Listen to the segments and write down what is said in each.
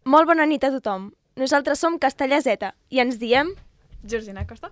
Molt bona nit a tothom. Nosaltres som Castellà Z i ens diem... Georgina Costa,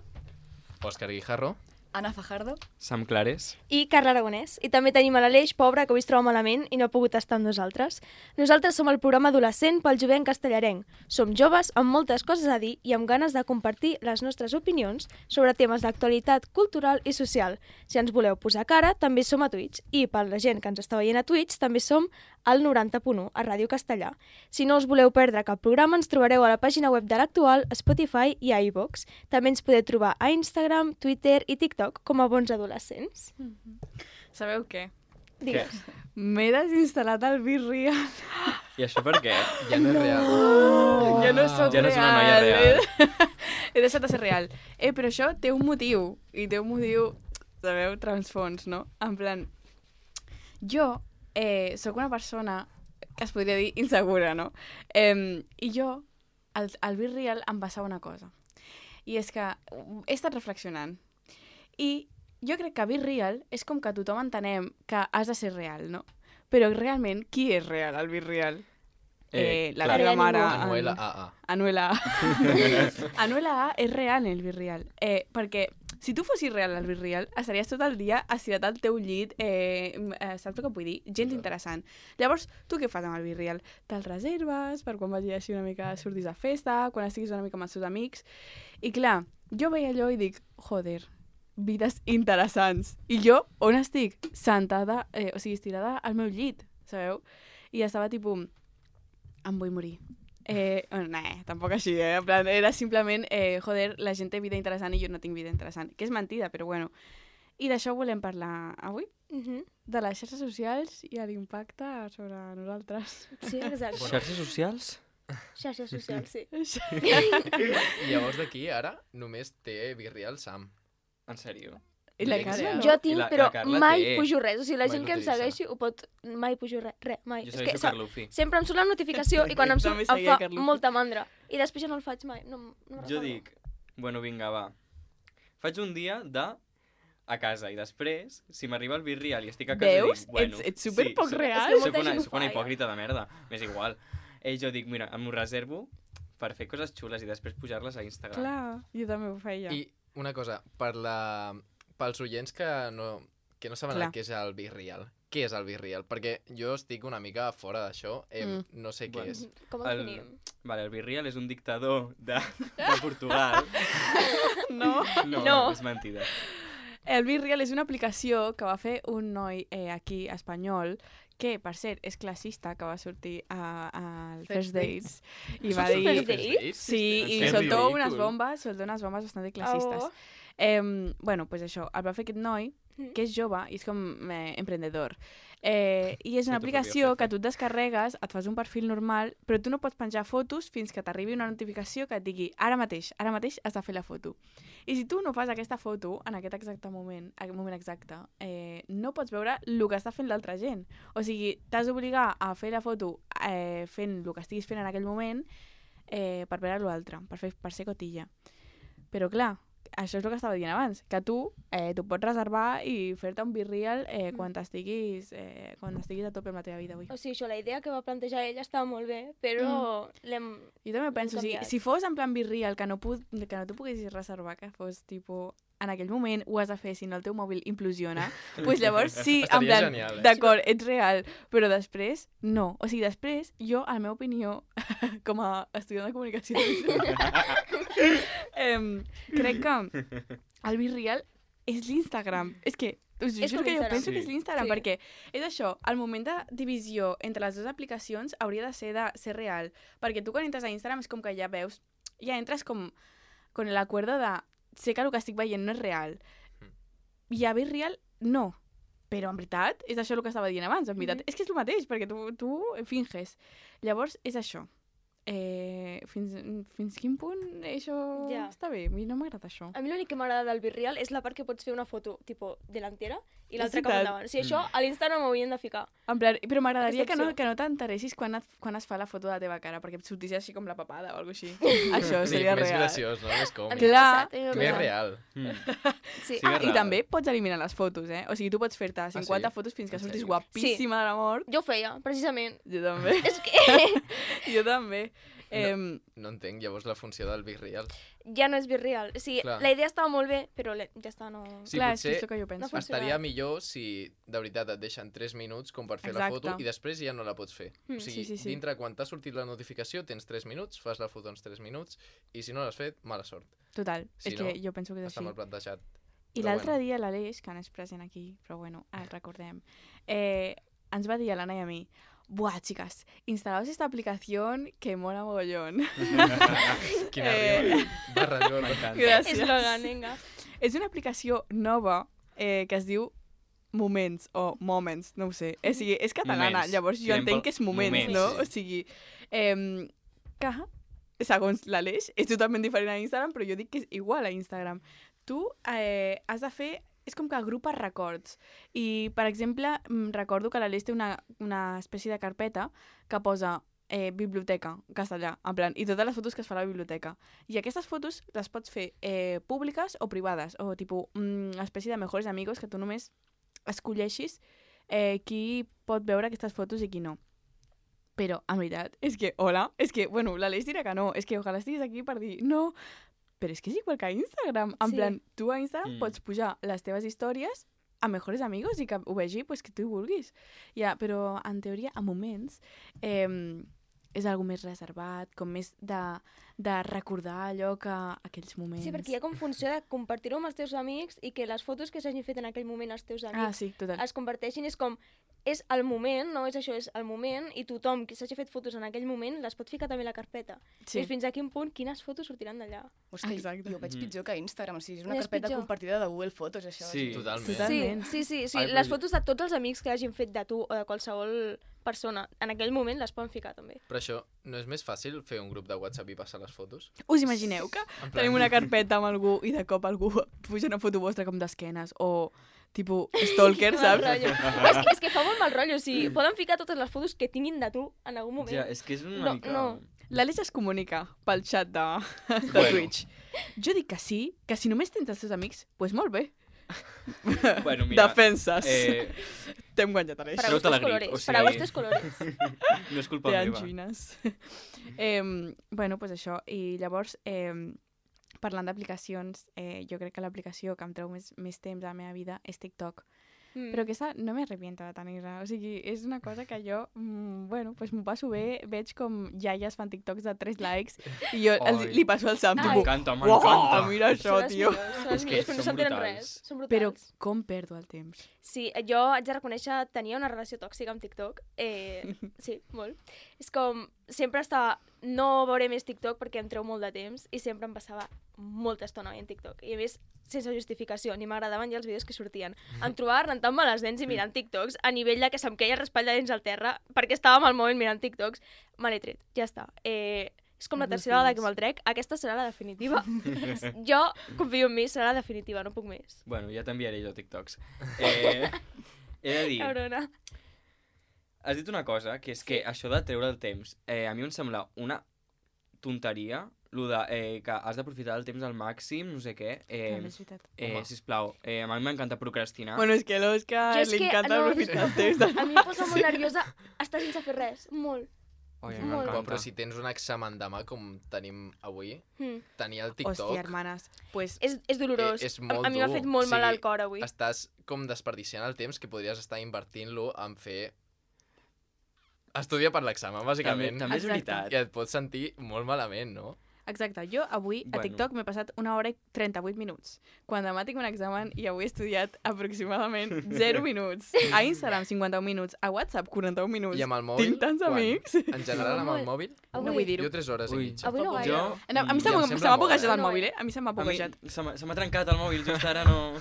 Òscar Guijarro. Ana Fajardo Sam Clares. I Carla Aragonès. I també tenim a l'Aleix, pobre, que avui es troba malament i no ha pogut estar amb nosaltres. Nosaltres som el programa adolescent pel jovent castellarenc. Som joves amb moltes coses a dir i amb ganes de compartir les nostres opinions sobre temes d'actualitat cultural i social. Si ens voleu posar cara, també som a Twitch. I per la gent que ens està veient a Twitch, també som al 90.1 a Ràdio Castellà. Si no us voleu perdre cap programa, ens trobareu a la pàgina web de l'Actual, Spotify i a iVoox. També ens podeu trobar a Instagram, Twitter i TikTok com a bons adolescents. Sabeu què? Digues. M'he desinstal·lat el BeReal. I això per què? Ja no és real. Ja no soc Ja no ets una noia real. He deixat de ser real. Però això té un motiu. I té un motiu, sabeu, transfons, no? En plan, jo sóc una persona que es podria dir insegura, no? I jo, al BeReal em passava una cosa. I és que he estat reflexionant. I jo crec que BeReal és com que tothom entenem que has de ser real, no? Però realment, qui és real al BeReal? La clar. teva mare... Anuela AA. Anuela A. Anuela A és real en el BeReal. Perquè si tu fossis real al BeReal, estaries tot el dia estirat al teu llit, saps el que vull dir? Gens interessant. Llavors, tu què fas amb el BeReal? Te'l reserves per quan vagi així una mica, sortis a festa, quan estiguis una mica amb els teus amics. I clar, jo veia allò i dic, joder, vides interessants. I jo, on estic? Sentada, o sigui, estirada al meu llit, sabeu? I estava tipus, em vull morir. No, tampoc així, en plan, era simplement, joder, la gent té vida interessant i jo no tinc vida interessant. Que és mentida, però bueno. I d'això volem parlar avui, de les xarxes socials i l'impacte sobre nosaltres. Sí, exacte. Xarxes socials? Xarxes socials, sí. Llavors d'aquí, ara, només té BeReal Sam. En sèrio? I la Sí, Carla, sí. no? Jo tinc, I la però Carla mai té. pujo res. O sigui, la Mai gent que em l'utilitza. segueixi ho pot... Mai pujo res, mai. Jo És segueixo Carlufi. sempre em surt la notificació i quan em surt També em seguia fa Carlufi. molta mandra. I després ja no el faig mai. No Jo recordo. dic, bueno, vinga, va. Faig un dia a casa i després, si m'arriba el BeReal i estic a casa, Veus? dic, bueno... Ets superpoc real. És que Soc molta una, gent ho soc fa, una ja. hipòcrita de merda, m'és igual. Jo dic, mira, m'ho reservo per fer coses xules i després pujar-les a Instagram. Clar, jo també ho feia. I una cosa, pels oients que no saben Clar. què és el BeReal. Què és el BeReal? Perquè jo estic una mica fora d'això, no sé què Bueno. és. Com ho definim? Vale, el BeReal és un dictador de Portugal. No. No, és mentida. El BeReal és una aplicació que va fer un noi aquí, espanyol, que, per cert, és classista, que va sortir al First Dates. I va Surts dir... al First Dates? Sí, i Que soltó ridícul. unes bombes bastant classistes. Oh. Bueno, pues això, el va fer aquest noi, que és jove i és com emprendedor. I és una Sí, tu aplicació podries que tu et descarregues, et fas un perfil normal, però tu no pots penjar fotos fins que t'arribi una notificació que et digui ara mateix has de fer la foto. I si tu no fas aquesta foto en aquest exacte moment, no pots veure el que està fent l'altra gent. O sigui, t'has d'obligar a fer la foto fent el que estiguis fent en aquell moment per veure l'altre, per ser cotilla. Però clar, això és el que estava dient abans, que tu pots reservar i fer-te un BeReal quan estiguis a tope amb la teva vida avui. O sigui, això, la idea que va plantejar ella estava molt bé, però l'hem... Jo també penso, si fos en plan BeReal, que no tu poguessis reservar, que fos tipus en aquell moment ho has de fer, si no el teu mòbil implosiona, doncs llavors sí, en Estaria plan, genial, d'acord, ets real, però després no. O sigui, després, jo, a la meva opinió, com a estudiant de comunicació, crec que el BeReal és l'Instagram. És que us És juro com que jo Instagram. penso que és Sí. l'Instagram, Sí. perquè és això, el moment de divisió entre les dues aplicacions hauria de ser real, perquè tu quan entres a Instagram és com que ja veus, ja entres com con el acuerdo de sé que el que estic veient no és real. I a BeReal, no. Però en veritat, és això el que estava dient abans, en veritat. És que és el mateix, perquè tu finges. Llavors, és això. Fins quin punt això Ja. està bé? A mi no m'agrada això. A mi l'únic que m'agrada del BeReal és la part que pots fer una foto, tipo, delantera, i l'altra És cap veritat. endavant. O sigui, això a l'Instagram ho haurien de ficar. En plan, però m'agradaria Aquesta opció. que no t'interessis quan es fa la foto de la teva cara, perquè et sortís així com la papada o alguna cosa així. Això seria Més real. graciós, no? Més A còmic. mi m'ha Clar, passat, a mi m'ha Més passat. real. Sí. Sí que és I real. també pots eliminar les fotos, O sigui, tu pots fer-te 50 sí? fotos fins que En surtis sèrio? guapíssima de la mort. Jo ho feia, precisament. Jo també. És que... Jo també. No entenc, llavors, la funció del Be Real. Ja no és virreal. O sigui, Clar. la idea estava molt bé, però ja està, no... Sí, Clar, és que potser és el que jo penso. no funciona. estaria millor si de veritat et deixen 3 minuts com per fer la Exacte. foto i després ja no la pots fer. O sigui, sí. dintre, quan t'ha sortit la notificació, tens 3 minuts, fas la foto en 3 minuts i si no l'has fet, mala sort. Total, Si és no, que jo penso que és Està així. mal plantejat. I Però l'altre bueno. dia l'Aleix, que no és present aquí, però bueno, el recordem, ens va dir a l'Anna i a mi: buah, chicas, instalaos esta aplicación que mola mogollón. Quina rima. Barra llora. M'encanta. Gràcies. Eslògan, vinga. És una aplicació nova que es diu Moments o Moments, no ho sé. O sigui, és catalana, Moments. llavors jo Tirem entenc pel que és Moments, Moments, no? sí. O sigui, que, segons l'Aleix, és totalment diferent a Instagram, però jo dic que és igual a Instagram. Tu has de fer... És com que agrupes records. I, per exemple, recordo que l'Aleix té una espècie de carpeta que posa biblioteca, castellà, en plan, i totes les fotos que es fa a la biblioteca. I aquestes fotos les pots fer públiques o privades, o tipus una espècie de mejores amigos que tu només escolleixis qui pot veure aquestes fotos i qui no. Però, en veritat, és que, bueno, l'Aleix dirà que no, és que ojalà estiguis aquí per dir no, però és que és igual que a Instagram. En Sí. plan, tu a Instagram pots pujar les teves històries a mejores amigos i que ho vegi pues, que tu hi vulguis. Ja, però, en teoria, a moments, és algo més reservat, com més de recordar allò que aquells moments... Sí, perquè hi ha com funció de compartir-ho amb els teus amics i que les fotos que s'hagin fet en aquell moment els teus amics sí, total. es comparteixin. És com, és el moment, no és això, és el moment, i tothom que s'hagi fet fotos en aquell moment les pot ficar també a la carpeta. Sí. I fins a quin punt, quines fotos sortiran d'allà. Hosti, Exacte. jo ho veig pitjor que Instagram, o sigui, és una És carpeta pitjor. compartida de Google Fotos, això. Sí. Totalment. Totalment. Sí, Ai, les però fotos de tots els amics que hagin fet de tu o de qualsevol persona, en aquell moment les poden ficar també. Però això, no és més fàcil fer un grup de WhatsApp i passar les fotos? Us imagineu que En plan- tenim una carpeta amb algú i de cop algú puja una foto vostra com d'esquenes o tipus stalker, Mal saps? rotllo. És que fa molt mal rotllo, o sigui, poden ficar totes les fotos que tinguin de tu en algun moment. Ja, és que és una No, mica... no. L'Àlex es comunica pel xat de Bueno. Twitch. Jo dic que sí, que si només tens els teus amics, doncs pues molt bé. Bueno, mira... Defenses. T'hem guanyat, Aleix. Para Treu-te la gustos grip, colores, o sigui- para gustos colores. No és culpa Te meva. angines. Bueno, pues això. I llavors, parlant d'aplicacions, jo crec que l'aplicació que em treu més temps a la meva vida és TikTok. Però aquesta no me arrepiento de tenir-la. O sigui, és una cosa que jo, bueno, pues m'ho passo bé, veig com iaies fan TikToks de 3 likes i jo Ai. li passo el Sam, Ai. tipus, M'encanta, uau, m'encanta. mira això, Són les tio. millors, són les És que millors, però no són s'entenen brutals. res. Són Però brutals. com perdo el temps? Sí, jo haig de reconèixer, tenia una relació tòxica amb TikTok. Sí, molt. És com, sempre estava, no veuré més TikTok perquè em treu molt de temps i sempre em passava molta estona en TikTok. I a més, sense justificació, ni m'agradaven ja els vídeos que sortien. Em trobava rentant-me les dents i mirant TikToks a nivell de que se'm queia raspall de dents al terra perquè estava al mòbil mirant TikToks. Me l'he tret, ja està. És com la tercera vegada que me'l trec. Aquesta serà la definitiva. Jo confio en mi, serà la definitiva, no puc més. Bueno, ja t'enviaré jo TikToks. He de dir, Cabrona. has dit una cosa, que és que això de treure el temps, a mi em sembla una tonteria, lo de que has d'aprofitar el temps al màxim, no sé què. També és veritat. Home. Sisplau, a mi m'encanta procrastinar. Bueno, és que a l'Òscar Jo és li que, encanta no, aprofitar el temps. A mi em posa molt nerviosa estar sense fer res, molt. Oi, a mi molt. m'encanta. Però si tens un examen demà, com tenim avui, Mm. tenir el TikTok... Hòstia, hermanes. Pues, És dolorós. És molt a mi m'ha dur. fet molt O mal sigui, al cor avui. Estàs com desperdiciant el temps que podries estar invertint-lo en fer... Estudia per l'examen, bàsicament. També és Exacte. veritat. I et pots sentir molt malament, no? exacte, jo avui a Bueno. TikTok m'he passat 1 hora i 38 minuts. Quan demà tinc un examen i avui he estudiat aproximadament 0 minuts. A Instagram 51 minuts, a WhatsApp 41 minuts. I amb el mòbil... Tinc tants quan? amics. En general, amb el Molt. mòbil, No vull dir-ho. jo 3 hores i Ui. mitja. Avui no gaire. Jo... No, a mi se Ja em m'ha sembla molt, buguejat el No, mòbil, eh? A mi se m'ha A mi buguejat. se m'ha trencat el mòbil, just ara no...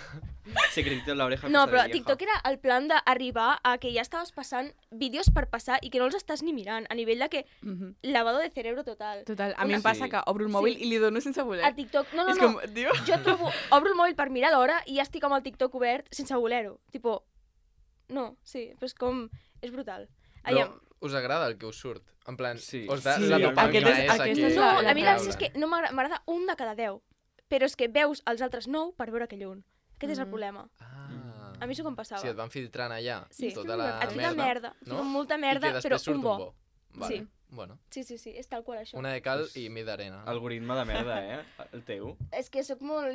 Secretito en l'oreja. No, cosa però de vieja. TikTok era el plan d'arribar a que ja estaves passant vídeos per passar i que no els estàs ni mirant, a nivell de que Mhm. lavado de cerebro total. Total, a mi Una- em passa Sí. que obro el mòbil Sí. i li dono sense voler. A TikTok, no, És com, no. tio... Jo trobo, obro el mòbil per mirar l'hora i ja estic amb el TikTok obert sense voler-ho. Tipo, no, sí, però és com... És brutal. Però Aviam. us agrada el que us surt? En plan, Sí. us da Sí, la dopamina aquest és- esa aquest que... és No, la a mi la clau. veritat és que no m'agrada un de cada 10. Però és que veus els altres 9 per veure aquell un. Aquest és el problema. Ah. A mi això com passava. Sí, et van filtrant allà Sí. tota la Et fica merda. Et fica molta I merda, que però després surt un bo. Vale. Sí. Bueno, Sí, és tal qual això. una de cal i mi d'arena. Algoritme de merda, el teu. És que sóc molt...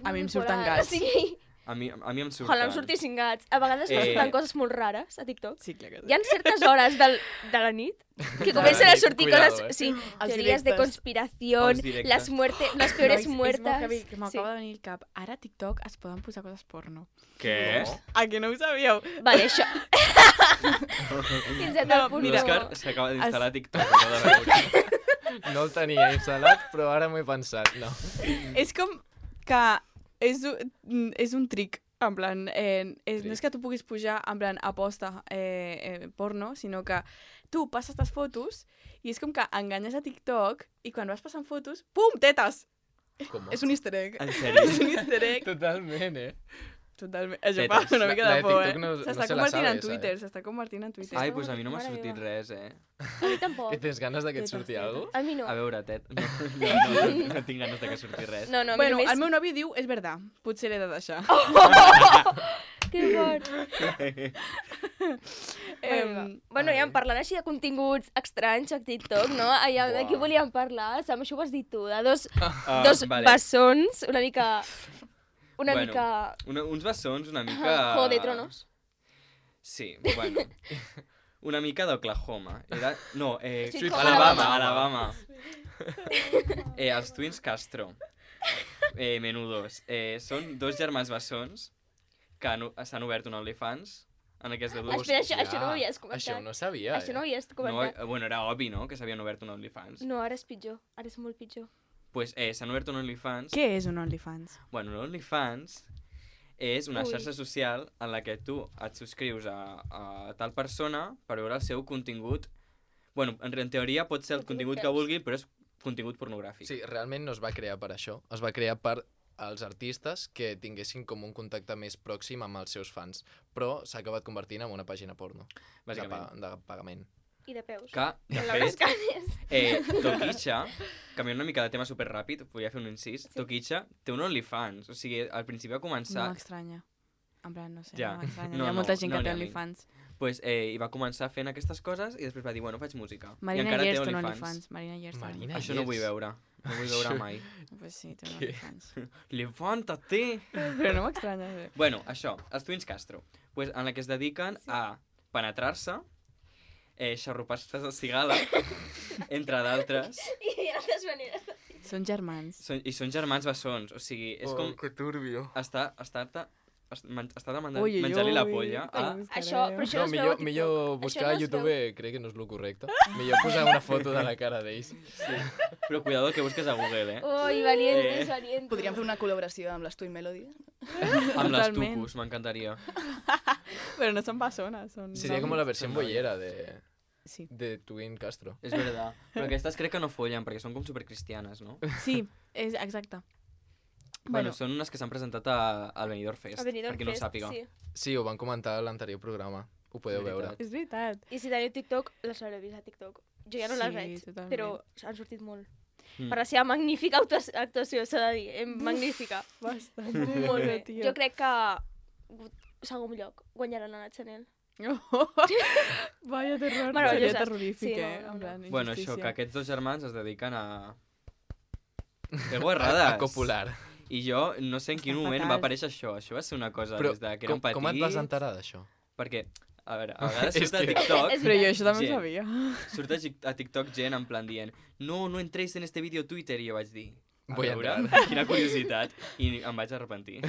A mi em surten bipolar, gats. O sigui, A mi em surten. ojalà em sortissin gats. A vegades em surten coses molt rares a TikTok. Sí, clar que Hi ha certes hores de la nit que comencen a sortir Cuidado, coses... eh? Sí, Els teories de directes. conspiración, Els directes. les peores És molt muertes... heavy, que m'acaba de venir el cap. Ara a TikTok es poden posar coses porno. Què? A que no ho sabíeu? Vale, això. Fins a tal punt. L'Òscar s'acaba d'instal·lar a TikTok. Acaba de veure. No el tenia instal·lat, però ara m'ho he pensat. No. És com que és un trick. En plan, no és que tu puguis pujar en plan aposta porno, sinó que tu passes les fotos i és com que enganyes a TikTok i quan vas passant fotos, pum, tetes! Com? És un easter egg. En sèrio? És un easter egg. Totalment, Totalment. Això Tetes. fa una mica La de de por, TikTok no S'està se la convertint sabe, en Twitter, ¿sabes? s'està convertint en Twitter. Ai, doncs a mi no m'ha Mare sortit meva. res, A mi tampoc. Que tens ganes de que et Tetes, surti tetes. alguna A mi no. A veure, Tet, no tinc ganes de que surti res. No, a mi Bueno, només... el meu nòvio diu, és verdad, potser l'he de deixar. Que fort. Bueno, ja parlant així de continguts estranys a TikTok, no? Allà de què volíem parlar? Sam, això ho has dit tu, de dos vale. bessons, una mica... Una Bueno, mica... Uns bessons una mica... Juego de Tronos. Sí, bueno. Una mica d'Oklahoma. Era... No, Sweet Home Alabama, Alabama. Alabama. Els Twins Castro. Menudos. Són dos germans bessons que s'han obert un OnlyFans en aquest de dos. Espera, això no ho havies comentat. Això no sabia, Això no ho havies No, comentat. bueno, era obvi, no?, que s'havien obert un OnlyFans. No, ara és pitjor. Ara és molt pitjor. Pues s'han obert un OnlyFans. Què és un OnlyFans? Bueno, un OnlyFans és una Ui. xarxa social en la que tu et subscrius a tal persona per veure el seu contingut. Bueno, en teoria pot ser el contingut que vulgui, però és contingut pornogràfic. Sí, realment no es va crear per això. Es va crear per als artistes que tinguessin com un contacte més pròxim amb els seus fans. Però s'ha acabat convertint en una pàgina porno. Bàsicament. De pagament. I de peus. Que, de En les fet, canes. Toquicha, canviant una mica de tema superràpid, volia fer un incís, Sí. Toquicha té un OnlyFans, o sigui, al principi va No començar... m'estranya. En plan, no sé, Ja. no m'estranya. No, Hi ha molta no, gent no que té n'hi ha OnlyFans. Pues, i va començar fent aquestes coses i després va dir, bueno, faig música. I Marina encara té Gerst té un OnlyFans. OnlyFans. Marina Gerst. té un Marina OnlyFans. Això no vull veure. No vull veure mai. Pues sí, té un Què? OnlyFans. Levántate! Però no m'estranya. Bueno, això, els Twins Castro, pues, en la que es dediquen a penetrar-se, xarrupar-se de cigala, entre d'altres, I altres maneres. Són germans. i són germans bessons, o sigui, és com que turbio. estar demanant Ui, ui, menjar-li la ui, polla que a... ho buscareu. Això, però això No, no es veu a millor TikTok. buscar Això a no es YouTube, crec que no és el correcte. Millor posar una foto de la cara d'ells. Però cuidado que busques a Google, Ui, valientes, valientes. Podríem fer una col·laboració amb les Twin Melody. Amb les Totalment. tucus, m'encantaria. Però no són bessones, són... Seria com la versió Són bollera Sí. de Twin Castro. És veritat. Però aquestes crec que no follen, perquè són com supercristianes, no? Sí, és exacte. Bueno, són unes que s'han presentat al Benidorm Fest, A Benidorm per qui no ho Fest, sàpiga. Sí. Sí, ho van comentar a l'anterior programa. Ho podeu És veure. veritat. És veritat. I si teniu TikTok, les haureu vist a TikTok. Jo ja no les Sí, veig, totalment. però han sortit molt. Mm. Per la seva magnífica actuació, s'ha de dir. Magnífica. Bastant. Molt bé. tio. Jo crec que segon lloc guanyaran la Nat Chanel. Vaya terror. Meravelloses. Seria terrorífic, Sí, no, eh? no, En no. plan, Bueno, això, injustícia. que aquests dos germans es dediquen a... Que guarrades! A copular. I jo no sé en quin Està moment fatal. va aparèixer això. Això va ser una cosa Però des de que érem petits. com et vas enterar d'això? Perquè, a veure, a vegades És surt a que- TikTok... És Però jo això també Gent. ho sabia. Surt a TikTok gent en plan dient no entréis en este vídeo a Twitter, i jo vaig dir Voy a veure, entrar. quina curiositat, i em vaig arrepentir.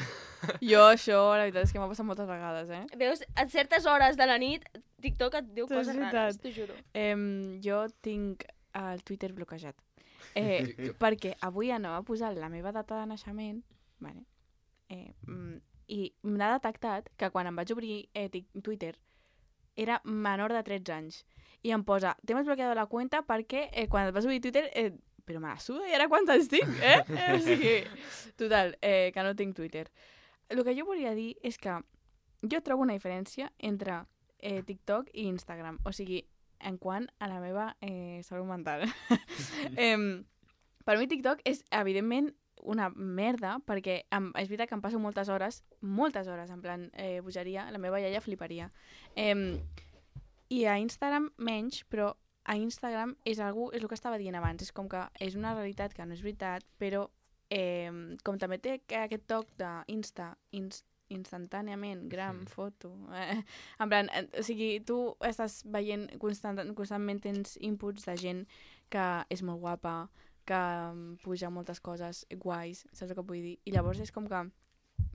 Jo això, la veritat és que m'ha passat moltes vegades, eh? Veus, a certes hores de la nit, TikTok et diu És coses veritat. rares, t'ho juro. Jo tinc el Twitter bloquejat. Que- Perquè avui anava a posar la meva data de naixement, vale? I m'ha detectat que quan em vaig obrir Twitter era menor de 13 anys. I em posa, t'hem desbloqueado la cuenta perquè quan et vas obrir Twitter... però me la suda, i ara quants anys tinc, eh? O sigui, total, que no tinc Twitter. El que jo volia dir és que jo trobo una diferència entre TikTok i Instagram. O sigui, en quant a la meva salut mental. Per mi TikTok és, evidentment, una merda, perquè és veritat que em passo moltes hores, en plan bogeria, la meva iaia fliparia. I a Instagram menys, però a Instagram és el que estava dient abans, és com que és una realitat que no és veritat, però com també té aquest toc instantàniament, foto. En plan, o sigui, tu estàs veient constantment tens inputs de gent que és molt guapa, que puja moltes coses guais, saps el que vull dir? I llavors és com que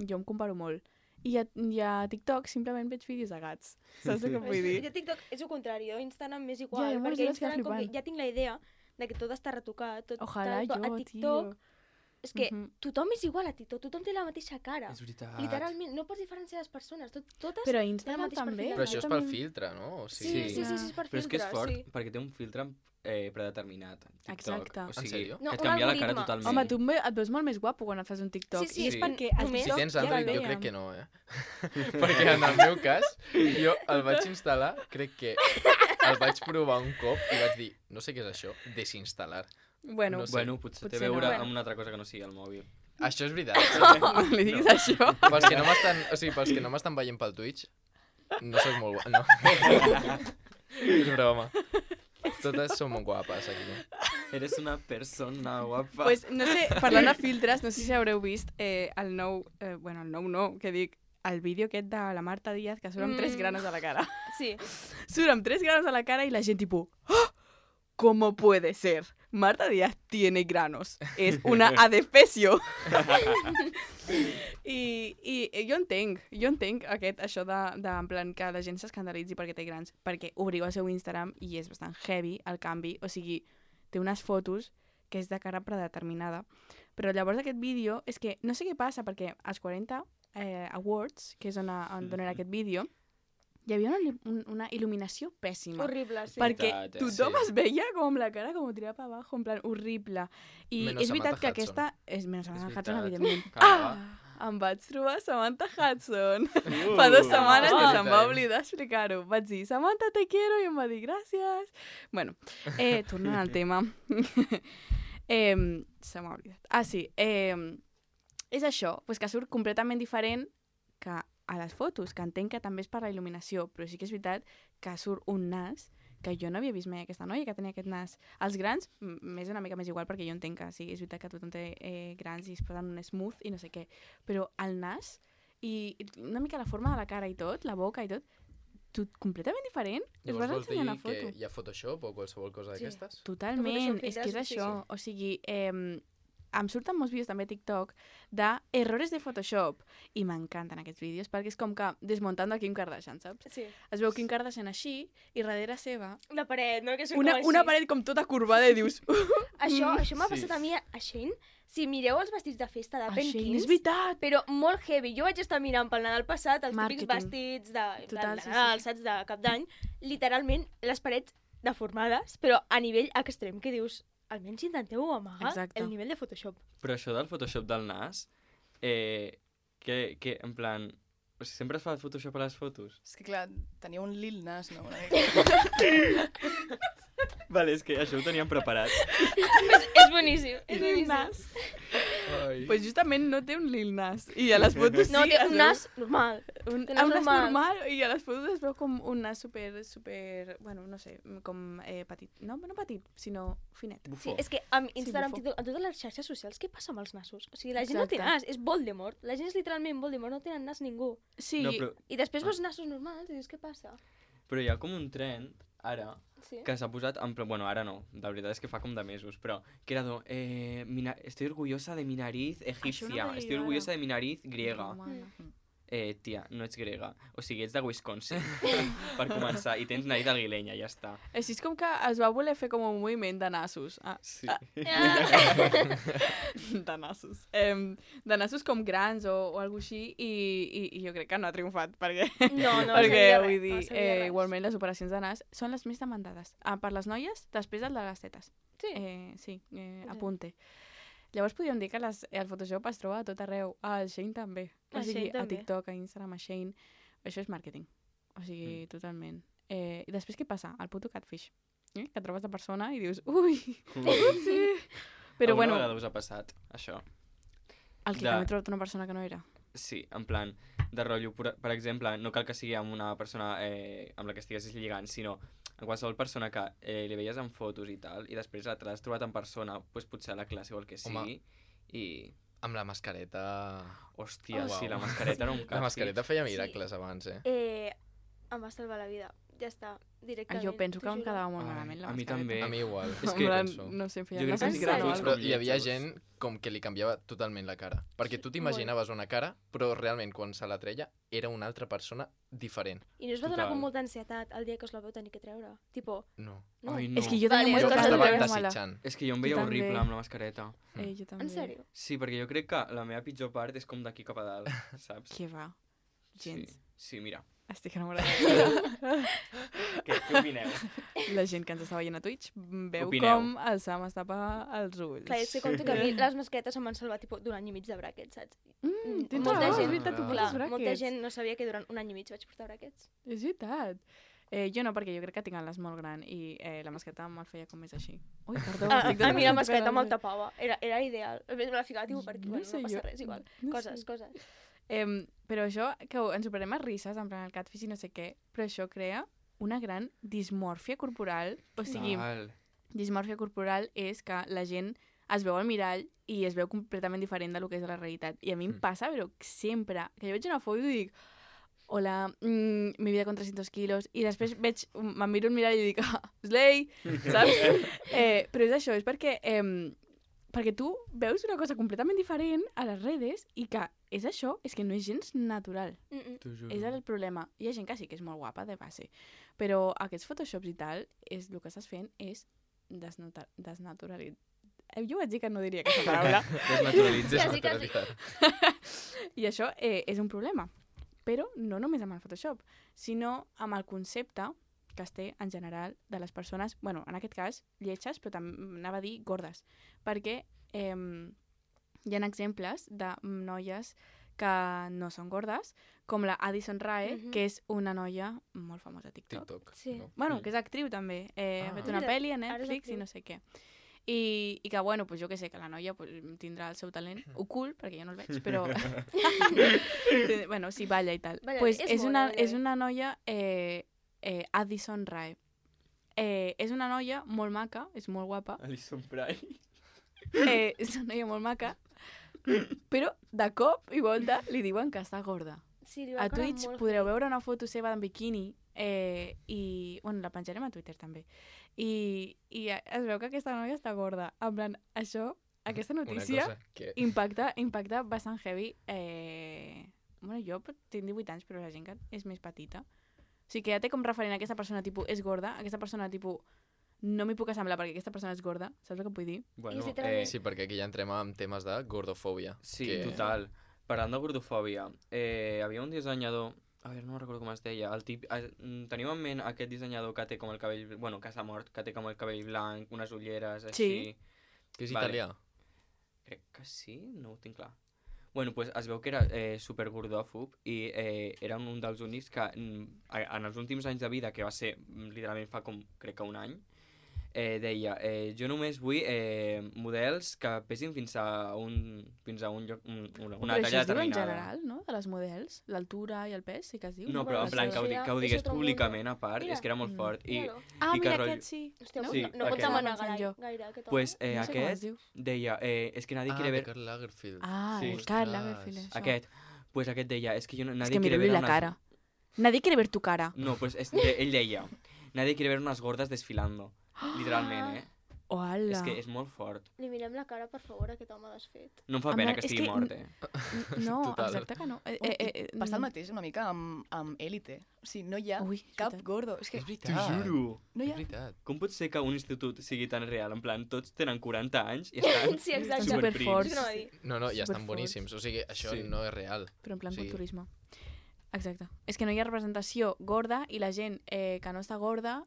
jo em comparo molt. I a TikTok simplement veig vídeos de gats, saps el que vull dir? I a TikTok és el contrari, a Instagram és igual, Ja, perquè Instagram com que ja tinc la idea de que tot està retocat, tot Ojalà tal, jo, a TikTok, tio. és que tothom és igual a TikTok, tothom té la mateixa cara. És veritat. Literalment, no pots diferenciar les persones, totes Però a tenen el Instagram mateix també. perfil. Però això és pel filtre, no? O Sí, sigui... és per Però és que és filtre, fort, sí. perquè té un filtre predeterminat. TikTok. Exacte. O En sigui, sèrio? No, et un canvia la cara algoritme. totalment. Home, tu et veus molt més guapo quan et fas un TikTok. Sí, I és sí. perquè el Només- Si TikTok tens ja Android, jo veiem. crec que no, Perquè en el meu cas, jo el vaig instal·lar, crec que el vaig provar un cop i vaig dir, no sé què és això, desinstal·lar. Bueno, No sé. Bueno, potser té a Potser no. veure Bueno. amb una altra cosa que no sigui el mòbil. Això és veritat. no li diguis això. Pels que no m'estan, o sigui, pels que no m'estan veient pel Twitch, no soc molt guapa, no. És broma. Totes són molt guapes aquí. Eres una persona guapa. Pues, no sé, parlant de filtres, no sé si haureu vist el nou, el nou no, què dic, el vídeo aquest de la Marta Díaz que surt amb 3 granos a la cara. Sí. Surt amb 3 granos a la cara y la gente tipo, ¡oh! ¿Cómo puede ser? Marta Díaz tiene granos. Es una adefesio. I jo entenc això de en plan que la gent s'escandalitzi perquè té grans, perquè obriu el seu Instagram i és bastant heavy el canvi, o sigui, té unes fotos que és de cara predeterminada. Però llavors aquest vídeo és que no sé què passa, perquè als 40 Awards, que és on donen aquest vídeo, hi havia una il·luminació pèssima. Horrible, sí. Perquè Veritat, tothom sí. es veia com amb la cara com tirada per abajo, en plan horrible. I Menys és veritat Samantha que Hudson. aquesta... Menys Samantha És Hudson, veritat. evidentment. Clar. Em vaig trobar Samantha Hudson. Fa 2 setmanes que se'm va Time. oblidar explicar-ho. Vaig dir, Samantha, te quiero, i em va dir, gràcies. Bueno, tornant al tema. Se m'ha oblidat. Ah, sí. És això, pues que surt completament diferent que a les fotos, que entenc que també és per la il·luminació, però sí que és veritat que surt un nas que jo no havia vist mai aquesta noia que tenia aquest nas. Els grans, m'és una mica més igual perquè jo entenc que sí, és veritat que tothom té grans i es posen un smooth i no sé què, però el nas i una mica la forma de la cara i tot, la boca i tot completament diferent. Es Llavors vas vols dir ensenyar una que foto. hi ha Photoshop o qualsevol cosa Sí. d'aquestes? Totalment, Photoshop és que és filtres, sí, això. sí. O sigui, em surten molts vídeos també a TikTok d'errores de Photoshop i m'encanten aquests vídeos perquè és com que desmuntando a Kim Kardashian, saps? Sí. Es veu Kim Kardashian així i darrere seva La paret, no? Que surt una com així. paret com tota corbada i dius Això m'ha Sí. passat a mi a Shein. Si mireu els vestits de festa de Shein, Penkins, és veritat! però molt heavy. Jo vaig estar mirant pel Nadal passat els típics Marketing. vestits de Total, sí, Nadal, sí. saps, de cap d'any. Literalment, les parets deformades, però a nivell extrem, que dius, almenys intenteu amagar Exacte. el nivell de Photoshop. Però això del Photoshop del nas, que en plan... O sigui, sempre es fa Photoshop a les fotos? És que clar, tenia un Lil Nas, no? Una mica. Vale, és que això ho teníem preparat. És boníssim, és Lil boníssim. Nas. Ai. Pues justament no té un Lil Nas. I a les fotos No, sí, té es un veu nas normal. un té nas nas normal. normal i a les fotos es veu com un nas super, bueno, no sé, com petit. No petit, sinó finet. Sí, Bufó. és que amb Instagram, bufó. TikTok, en totes les xarxes socials, què passa amb els nassos? O sigui, la gent no té Exacte. nas, és Voldemort. La gent és literalment Voldemort, no tenen nas ningú. Sí, No, però, I després veus nassos normals i dius, què passa? però hi ha com un trend, ara, Sí. que s'ha posat, en plan, bueno, ara no, la veritat és que fa com de mesos, però que era estoy orgullosa de mi nariz egipcia, veia estoy jo orgullosa ara. de mi nariz griega. Romana. Tia, no ets grega, o sigui, ets de Wisconsin, per començar, i tens nariz aguilenya, ja està. Així és com que es va voler fer com un moviment de nassos. Sí. De nassos. De nassos com grans o alguna així i jo crec que no ha triomfat perquè, No, no perquè servia vull res, dir, no servia res. igualment les operacions de nas són les més demandades. Per les noies, després del de les tetes. Sí. Sí, apunte. Llavors podríem dir que el Photoshop es troba a tot arreu. Al Shein també. O Al sigui, Shein a també. TikTok, a Instagram, a Shein. Això és màrqueting. O sigui, totalment. I després què passa? El puto catfish. Que trobes la persona i dius, ui, sí. Però Alguna bueno, vegada us ha passat, això? el que de- m'he trobat una persona que no era. Sí, en plan, de rotllo, per exemple, no cal que sigui amb una persona amb la que estiguessis lligant, sinó a qualsevol persona que li veies en fotos i tal, i després te l'has trobat en persona, doncs potser a la classe o el que sigui, i... Amb la mascareta... Hòstia, Uau. sí, la mascareta era un càstig. La mascareta feia miracles abans, Em va salvar la vida. Ja està, directament. Jo penso que t'ho em juro. quedava molt Ai, malament la a mi mascareta. també. A mi igual. És En que plan, penso. no sé, feia Jo crec que unes sí que era granotes. tots Però com hi havia lletjos. gent com que li canviava totalment la cara. Perquè tu t'imaginaves una cara, però realment quan se la treia era una altra persona diferent. I no us va donar Total. com molta ansietat el dia que us la veu tenir que treure? Tipo, No. no? Ai, no. És que jo Vale, tenia jo moltes ganes de estava treure-me-la. desitjant. És que jo em veia Jo també. horrible amb la mascareta. Jo també. En sèrio? Sí, perquè jo crec que la meva pitjor part és com d'aquí cap a dalt, saps? Què va? Gens. Sí, mira. Estic enamorada. Què opineu? La gent que ens està veient a Twitch veu Opineu. com el Sam es tapa els ulls. Clar, és que compto que a mi les masquetes em van salvar tipus d'un any i mig de brackets, saps? Tens molta raó, gent- és veritat, tu Clar, portes Molta brackets. gent no sabia que durant un any i mig vaig portar brackets. És veritat. Jo no, perquè jo crec que tinc el nas molt gran i la mascareta me'l feia com més així. Ui, perdó, estic A mi la tocant mascareta el me'l ulls. tapava. Era ideal. A més, me la ficava tipus per aquí. Bueno, sé no passa jo. res, igual. No Coses, sé. coses. Però això, que ens ho prenem a risses, en plan el catfish i no sé què, però això crea una gran dismòrfia corporal. O sigui, Val. dismòrfia corporal és que la gent es veu al mirall i es veu completament diferent del que és la realitat. I a mi em passa, però sempre, que jo veig una foto i dic hola, mi vida con 300 quilos, i després me'n miro al mirall i dic, slay, saps? Però és això, és perquè tu veus una cosa completament diferent a les redes i que és això, és que no és gens natural. T'ho juro. És el problema. Hi ha gent que sí que és molt guapa de base, però aquests photoshops i tal, el que estàs fent és desnaturalitzar. Jo vaig dir que no diria aquesta paraula. Desnaturalitzes. Quasi, quasi. I això és un problema. Però no només amb el Photoshop, sinó amb el concepte que es té en general de les persones, bueno, en aquest cas, lletges, però també anava a dir gordes. Perquè hi ha exemples de noies que no són gordes, com la Addison Rae, que és una noia molt famosa a TikTok. TikTok. Sí. No? Bueno, que és actriu també. Ha fet una Mira, pel·li a ara és Netflix i actriu. no sé què. I que, bueno, pues jo que sé, que la noia pues, tindrà el seu talent ocult, perquè jo no el veig, però... bueno, sí, balla i tal. Balla Pues bé, és és, mona, una, balla és bé. una noia Addison Rae. És una noia molt maca, és molt guapa, Alison Pry. és una noia molt maca, però de cop i volta li diuen que està gorda. Sí, li va A caure Twitch molt podreu heavy. veure una foto seva en biquini i, bueno, la penjarem a Twitter també. I es veu que aquesta noia està gorda. En plan, aquesta notícia Una cosa que... impacta bastant heavy. Bueno, jo tinc 18 anys, però la gent que és més petita. O sigui que ja té com referent a aquesta persona, tipus, és gorda, aquesta persona, tipus, no m'hi puc assemblar perquè aquesta persona és gorda, saps el que vull dir? Bueno, És literalment- Sí, perquè aquí ja entrem en temes de gordofòbia. sí, que... total. Parlant de gordofòbia, havia un dissenyador, a veure, no recordo com es deia, teniu en ment aquest dissenyador que té com el cabell, bueno, que s'ha mort, que té com el cabell blanc, unes ulleres, així... Sí. Que és Vale. italià. Crec que sí, no ho tinc clar. Bueno, pues es veu que era supergordòfob i era un dels únics que en els últims anys de vida, que va ser literalment fa com, crec que un any, deia, jo només vull models que pesin fins a un lloc, una Però això talla es diu en determinada. general, no?, de les models, l'altura i el pes, sí que es diu. No, però en plan que ho digués públicament a part, és que era molt fort. I, Ah, i que mira, rotllo- aquest sí. Hòstia, no? Sí, no aquest. pot demanar Pensant jo. gaire aquest home. pues No sé com es aquest diu. deia, és que nadie Ah, quiere de ver... Karl Lagerfeld. Ah, Sí. el Karl Ostras. Lagerfeld, això. Aquest, pues aquest deia, és que jo, Es nadie que quiere miro-li ver la unas... cara. Nadie quiere ver tu cara. No, pues ell deia, nadie quiere ver unas gordas desfilando. Literalment, eh? Hola. És que és molt fort. Li mirem la cara, per favor, a aquest home desfet. No em fa En pena plan, que és estigui que- mort, eh? No, Total. exacte que no. Passa el mateix una mica amb Élite. O sigui, no hi ha Ui, cap veritat. gordo. És que És T'ho veritat. juro. no hi És ha... veritat. Com pot ser que un institut sigui tan real? En plan, tots tenen 40 anys i estan Sí, exacte. Estan superforts. És que no va dir. No, no, ja estan Superforts. boníssims. O sigui, això Sí. no és real. Però en plan Sí. culturisme. Exacte. És que no hi ha representació gorda i la gent que no està gorda,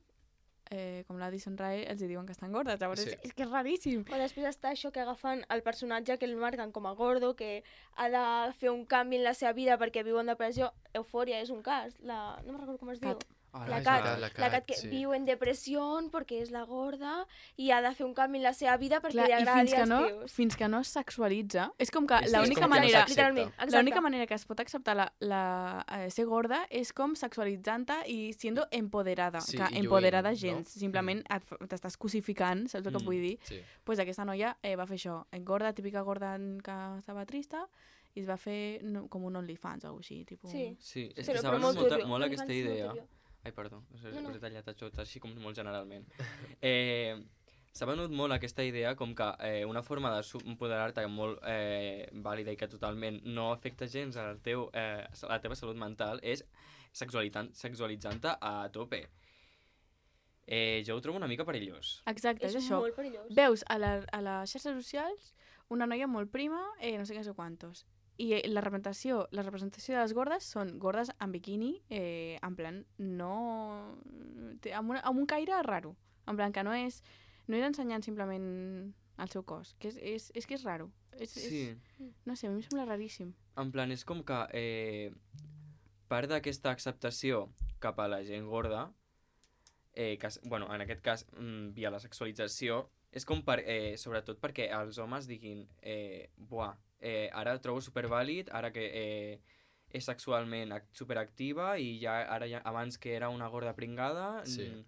com l'Addison Rae, els hi diuen que estan gordes. Llavors Sí. és que és raríssim. O després està això que agafen el personatge que el marquen com a gordo, que ha de fer un canvi en la seva vida perquè viu en depressió. Eufòria és un cas. No me'n recordo com es diu. Cat. La és Kat, veritat, la Kat que sí. viu en depressió perquè és la gorda i ha de fer un canvi en la seva vida perquè Clar, li i agradi als tios. fins que no es sexualitza, és com que Sí, l'única és com que no manera... s'accepta. Literalment, exacte. L'única manera que es pot acceptar ser gorda és com sexualitzant-te i siendo empoderada. Sí, que i lluint, empoderada no? gens, simplement t'estàs cosificant, saps el que vull dir? Sí. Pues aquesta noia va fer això, gorda, típica gorda que estava trista, i es va fer com un OnlyFans o alguna cosa així. Tipus... Sí. Sí, és Però que s'ha venut molt turbio. molt aquesta OnlyFans molt idea. turbio. Ai, perdó, us No. he tallat tot així com molt generalment. S'ha venut molt aquesta idea com que una forma d'empoderar-te molt vàlida i que totalment no afecta gens a la teva salut mental és sexualitzant-te a tope. Jo ho trobo una mica perillós. Exacte, és És això. molt perillós. Veus a les xarxes socials una noia molt prima, no sé què, no sé quantos. I la representació de les gordes són gordes en biquini, en plan, no... amb un caire raro. En plan, que no és ensenyant simplement el seu cos, que és que és raro. Sí. No sé, a mi em sembla raríssim. En plan, és com que part d'aquesta acceptació cap a la gent gorda, bueno, en aquest cas, via la sexualització, és com sobretot perquè els homes diguin buah, ara el trobo supervàlid, ara que és sexualment superactiva i abans que era una gorda pringada, Sí.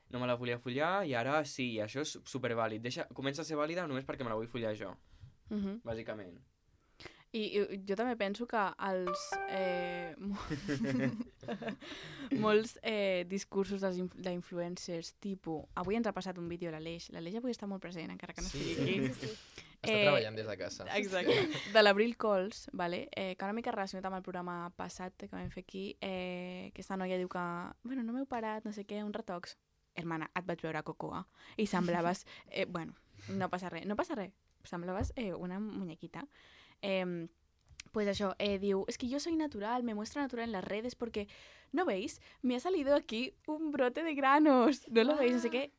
no me la volia follar i ara sí, i això és supervàlid. Comença a ser vàlida només perquè me la vull follar jo, bàsicament. I jo també penso que molts discursos d'influencers, tipus... Avui ens ha passat un vídeo l'Aleix avui està molt present, encara que no Sí. sigui aquí. Sí. Està treballant des de casa. Exacte. De l'Abril Cols, vale? Que una mica relacionat amb el programa passat que vam fer aquí, que aquesta noia diu que bueno, no m'heu parat, no sé què, un retox. Hermana, et vaig veure a Cocoa i semblaves... bueno, no passa res, semblaves una muñequita. Pues això, diu, es que yo soy natural, me muestro natural en las redes porque, ¿no veis? Me ha salido aquí un brote de granos. ¿No lo veis? No sé què.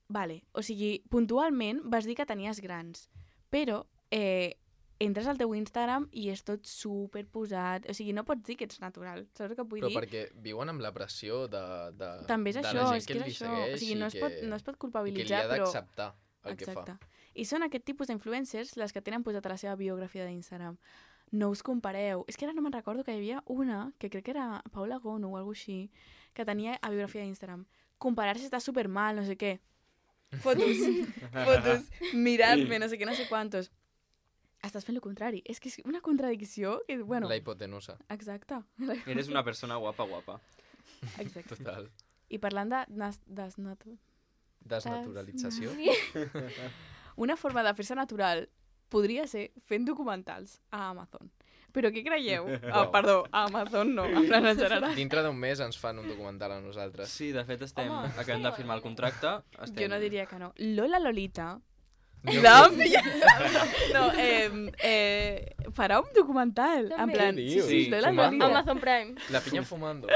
Vale, o sigui, puntualment vas dir que tenies grans, però entres al teu Instagram i és tot superposat. O sigui, no pots dir que ets natural, saps el que vull Però dir? perquè viuen amb la pressió de També és de això, la gent és que és li això. segueix O sigui, no es pot i que li culpabilitzar, ha però... d'acceptar el que fa. Exacte. I són aquest tipus d'influencers les que tenen posat a la seva biografia d'Instagram. No us compareu. És que ara no me'n recordo que hi havia una, que crec que era Paula Gono o alguna així, que tenia a biografia d'Instagram. Comparar-se està supermal, no sé què. Fotos, mirar-me, no sé què, no sé quantos. Estàs fent el contrari. És que és una contradicció que, bueno... La hipotenusa, Exacte. Eres una persona guapa. Exacte. total. I parlant de Desnaturalització. una forma de fer-se natural podria ser fent documentals a Amazon. Però què creieu? Perdó, a Amazon no, en plan en general. Dintre d'un mes ens fan un documental a nosaltres. Sí, de fet Home, acabem de firmar el contracte. Jo no diria que no. Lola Lolita No, no, farà un documental. En També. plan, Què sí, dius? sí, Lola Fumando? Lolita. Amazon Prime. La pinya fumando.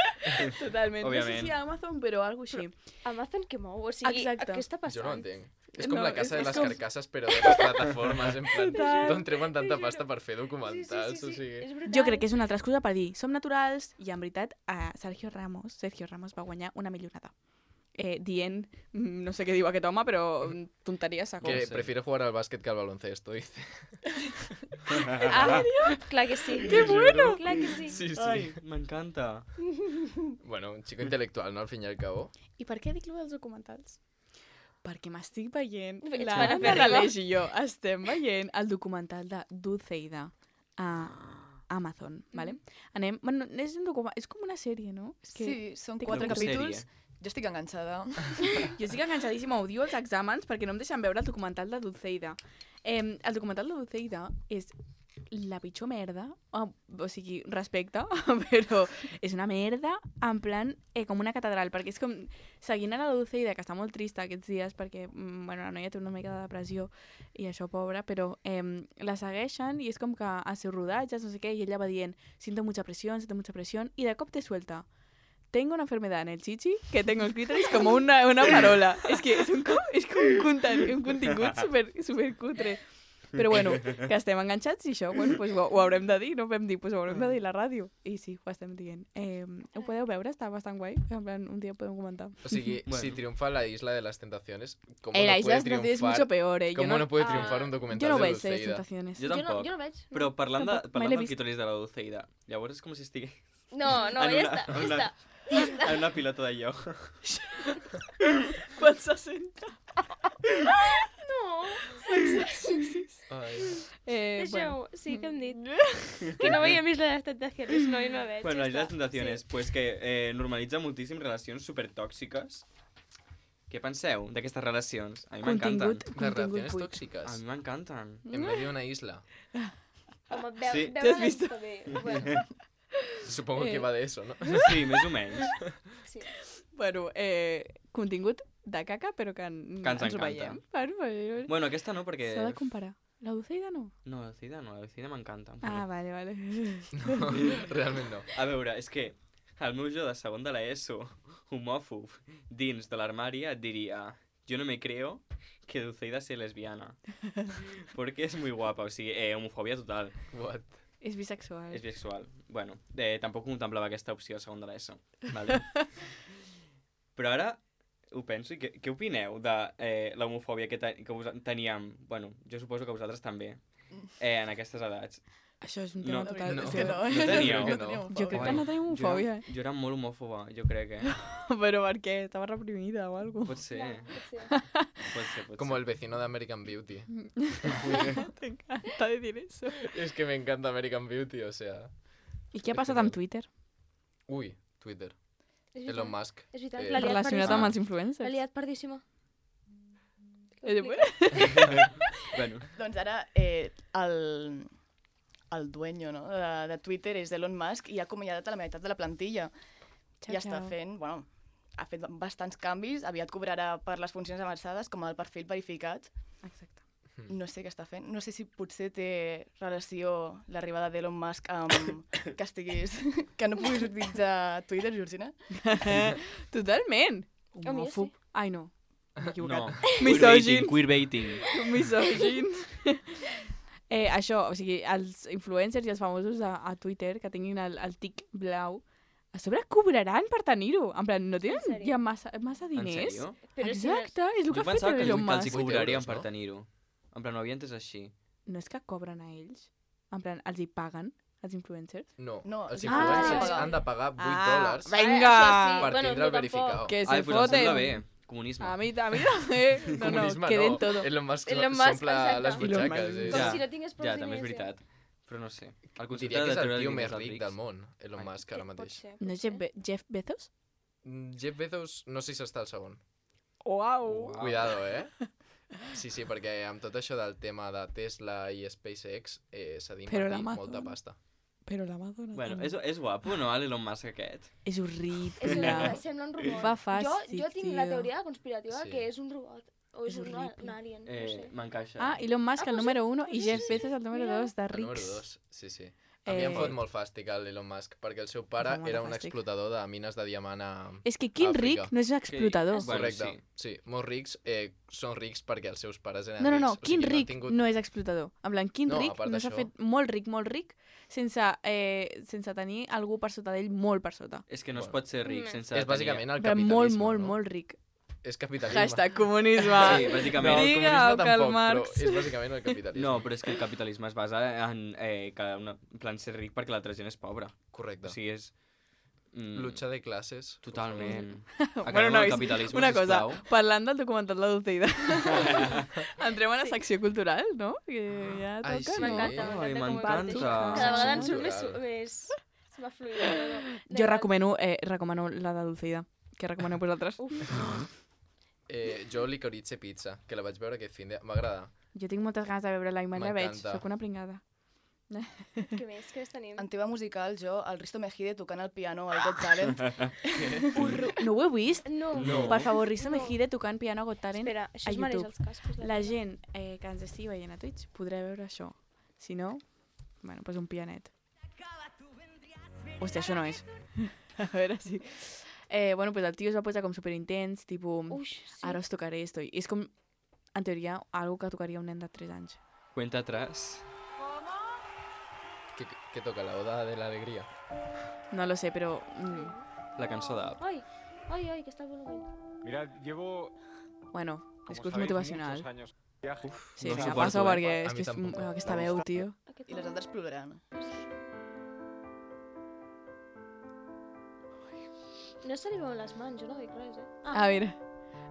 Totalment. No sé Òbviament. si a Amazon, però alguna així. Amazon que mou, o sigui, Exacte. què està passant? Jo no ho entenc. És com No, la casa és de les com- carcasses, però de les plataformes, en plan, Total. d'on treuen tanta pasta per fer documentals, o sigui... És brutal. Jo crec que és una altra excusa per dir som naturals i en veritat Sergio Ramos va guanyar una milionada. Dient, no sé què diu aquest home, però tonteria segur. Que sé. prefiere jugar al básquet que al baloncesto, dice. Clar que sí. ¡Qué bueno! Clar que sí. Sí, Ai, m'encanta. Bueno, un chico intelectual, ¿no? Al fin y al cabo. I per què dic lo dels documentals? Perquè m'estic veient, Ets la fan Anna afèrrima. L'Aleix i jo estem veient el documental de Dulceida a Amazon, ¿vale? Anem, bueno, és un documental, és com una sèrie, no? És que Sí, són té 4 una capítols. sèrie. Jo estic enganxada. jo estic enganxadíssima, odio els exàmens perquè no em deixen veure el documental de Dulceida. El documental de Dulceida és la pitjor merda, o sigui, respecte, però és una merda en plan com una catedral, perquè és com seguint a la Dulceida, que està molt trista aquests dies perquè bueno, la noia té una mica de depressió i això, pobra, però la segueixen i és com que als seus rodatges, no sé què, i ella va dient siento mucha presión, i de cop te suelta tengo una enfermedad en el chichi que tengo el clítoris como una farola. És que és un contingut super cutre. Però bueno, que estem enganxats i això, bueno, pues ho haurem de dir, no vam dir, pues ho haurem de dir a la ràdio. I sí, ho estem dient. Ho podeu veure, està bastant guai. En plan, un dia ho podem comentar. O sigui, Bueno. si triunfa la Isla de las Tentaciones, ¿cómo La no Isla puede de Tentaciones es triunfar? mucho peor, eh. ¿Cómo no puede triunfar un Yo documental no de veig les Dulceida? Tentaciones. Jo tampoc. Jo no veig. No. Però parlant Tampoc, mai del l'he vist. clítoris de la Dulceida, llavors és com si estigués No, En ja una- està, en ja una- està. en una pilota de lloc. Quan se senta. No, Ai. deixeu, sí que hem dit. Que no veiem més les tentacions, no, jo no veig. Bueno, ja Isla de està. Tentaciones, pues que normalitza moltíssim relacions supertòxiques. Què penseu d'aquestes relacions? A mi m'encanten. Contingut, Las contingut relaciones buit. A tóxicas mi m'encanten. en medio de una isla. Home, Sí. veure T'has vist? està bé. Bueno, Supongo que va de eso, ¿no? Sí, més o menys. sí. Bueno, contingut de caca, però que ens ens ho encanta. veiem. Bueno, Bueno, aquesta no, perquè... s'ha de comparar. La Dulceida no? No, la Dulceida no, la Dulceida m'encanta. Ah, vale, vale. No, realment no. A veure, és que el meu jo de segon de l'ESO, homòfob, dins de l'armari et diria yo no me creo que Dulceida sea lesbiana. Porque es muy guapa, o sigui, homofòbia total. What? És bisexual. És bisexual. Bueno, tampoc contemplava aquesta opció a segon de l'ESO. Vale? Però ara ho penso i què opineu de l'homofòbia que teníem? Bueno, jo suposo que vosaltres també, en aquestes edats. Això és un tema No, total. no. és És que no. No teníeu? Jo crec que no. Jo crec que no tenim homofòbia. Jo era molt homòfoba, jo crec, Però per què? Estava reprimida o alguna Pot ser, Ja, potser. pot ser. Como el vecino de American Beauty. T'encanta decir eso. Es que me encanta American Beauty, o sea... I què ha passat amb Twitter? Uy, Twitter. És Elon veritat, Musk. és veritat, eh, l'ha liat Relacionat pardíssima. amb els L'ha influencers. liat pardíssima. Bueno, Doncs ara el dueño no? de Twitter és Elon Musk i ha acomiadat a la meitat de la plantilla. I està fent, bueno, ha fet bastants canvis, aviat cobrarà per les funcions avançades com el perfil verificat. Exacte. No sé què està fent. No sé si potser té relació l'arribada d'Elon Musk amb que estiguis... que no puguis utilitzar Twitter, Georgina. Totalment. A mi Homòfob. sí. Ai, no. M'he no. equivocat. Misògin. Queerbaiting. Misògin. Això, o sigui, els influencers i els famosos a Twitter que tinguin el tic blau, a sobre cobraran per tenir-ho. En plan, no En tenen sèrio? ja massa En diners? sèrio? Però si no és- Exacte, és el que Jo ha fet pensava que Elon els hi Musk. 8 cobrarien euros, per no? tenir-ho. En plan, ho havia entès així. No és que cobren a ells? En plan, els hi paguen, els influencers? No, No, els ah, influencers ja. han de pagar 8 Ah, dòlars Vinga! Això sí, per bueno, tindre el no tampoc. verificado. Que Ai, se pues em sembla foten. bé. Comunisme. A mi també. No, no, Comunisme que den no. todo. Elon Musk Elon Musk, s'omple exacte. les Elon butxaques. Musk. Com Ja, si no tingués prou Ja, també és diners, ja. veritat. Però no sé. El concepte Diria que és el treure tio diners més als ric rics. del món, Elon Ai. Musk, ara Pot mateix. ser, No pot és ser. Jeff Bezos? Jeff Bezos, no sé si està al segon. Uau! Cuidado, Sí, sí, perquè amb tot això del tema de Tesla i SpaceX s'ha Però d'invertir l'Amazon. molta pasta. Però l'Amazon... Bueno, és guapo, no, l'Elon Musk aquest? És horrible. És una, sembla un robot. Fa fàstic, jo tinc la tio. teoria conspirativa Sí. que és un robot. O és, És un horrible. alien, no sé. M'encaixa. Ah, Elon Musk el pues número 1 i sí, Jeff sí. Bezos el número Mira. 2 de El número rics. 2, sí, sí. A mi em fot molt fàstic l'Elon Musk, perquè el seu pare Em fa molt de era un fàstic. explotador de mines de diamant a... És que quin Àfrica. ric no és un explotador. Bueno, Correcte, sí. Molts rics són rics perquè els seus pares eren No, no, rics. no, O quin sigui, ric han tingut... no és explotador. En plan, quin No, a ric part no s'ha d'això- fet molt ric, sense tenir algú per sota d'ell molt per sota. És que no es Bueno. pot ser ric Mm. sense... És bàsicament el Però capitalisme, molt no? ric. És capitalisme. Hashtag comunisme. Sí, No, bàsicament. el Digue comunisme el Karl tampoc, Marx. però és bàsicament el capitalisme. No, però és que el capitalisme es basa en en plan ser ric perquè l'altra gent és pobra. Correcte. O sigui, és... Lucha de classes. Totalment. Bueno, Acabem amb el nois, capitalisme, una cosa, sisplau. parlant del documental de Dulceida. Entrem a la secció cultural, no? Que ja toca, Ai, sí. no? M'encanta, Ai, m'encanta. m'encanta. Cada vegada en Secció surt cultural. més... Se m'ha fluït. No. Jo recomano la de Dulceida. Què recomaneu vosaltres? Uf, Jo Licorice Pizza, que la vaig veure aquest fin de... M'agrada. Jo tinc moltes ganes de veure-la i mai la veig. M'encanta. Soc una pringada. què més tenim? En teva musical, jo, el Risto Mejide tocant el piano al Got Talent. No ho he vist? No. No. Per favor, Risto No. Mejide tocant piano a Got Talent. Espera, això a es mereix YouTube. els cascos. La gent que ens estigui veient a Twitch podrà veure això. Si no, bueno, doncs un pianet. Hòstia, això no és. A veure si... Bueno, pues el tio es va posar com superintens, tipus, Ux, sí. ara us tocaré esto. I és com, en teoria, algo que tocaria un nen de 3 anys. Cuenta atrás. ¿Qué toca? ¿La oda de la alegría? No lo sé, pero... La cançó d'App. Ai, que està el volumen. Mirad, llevo, Bueno, como discurs sabéis, motivacional. muchos años de viaje. Sí, no me suporto, passo perquè A és mi que és tampoc. aquesta veu, tio. I les altres ploraran. No se li veuen les mans, jo no veig res, A veure,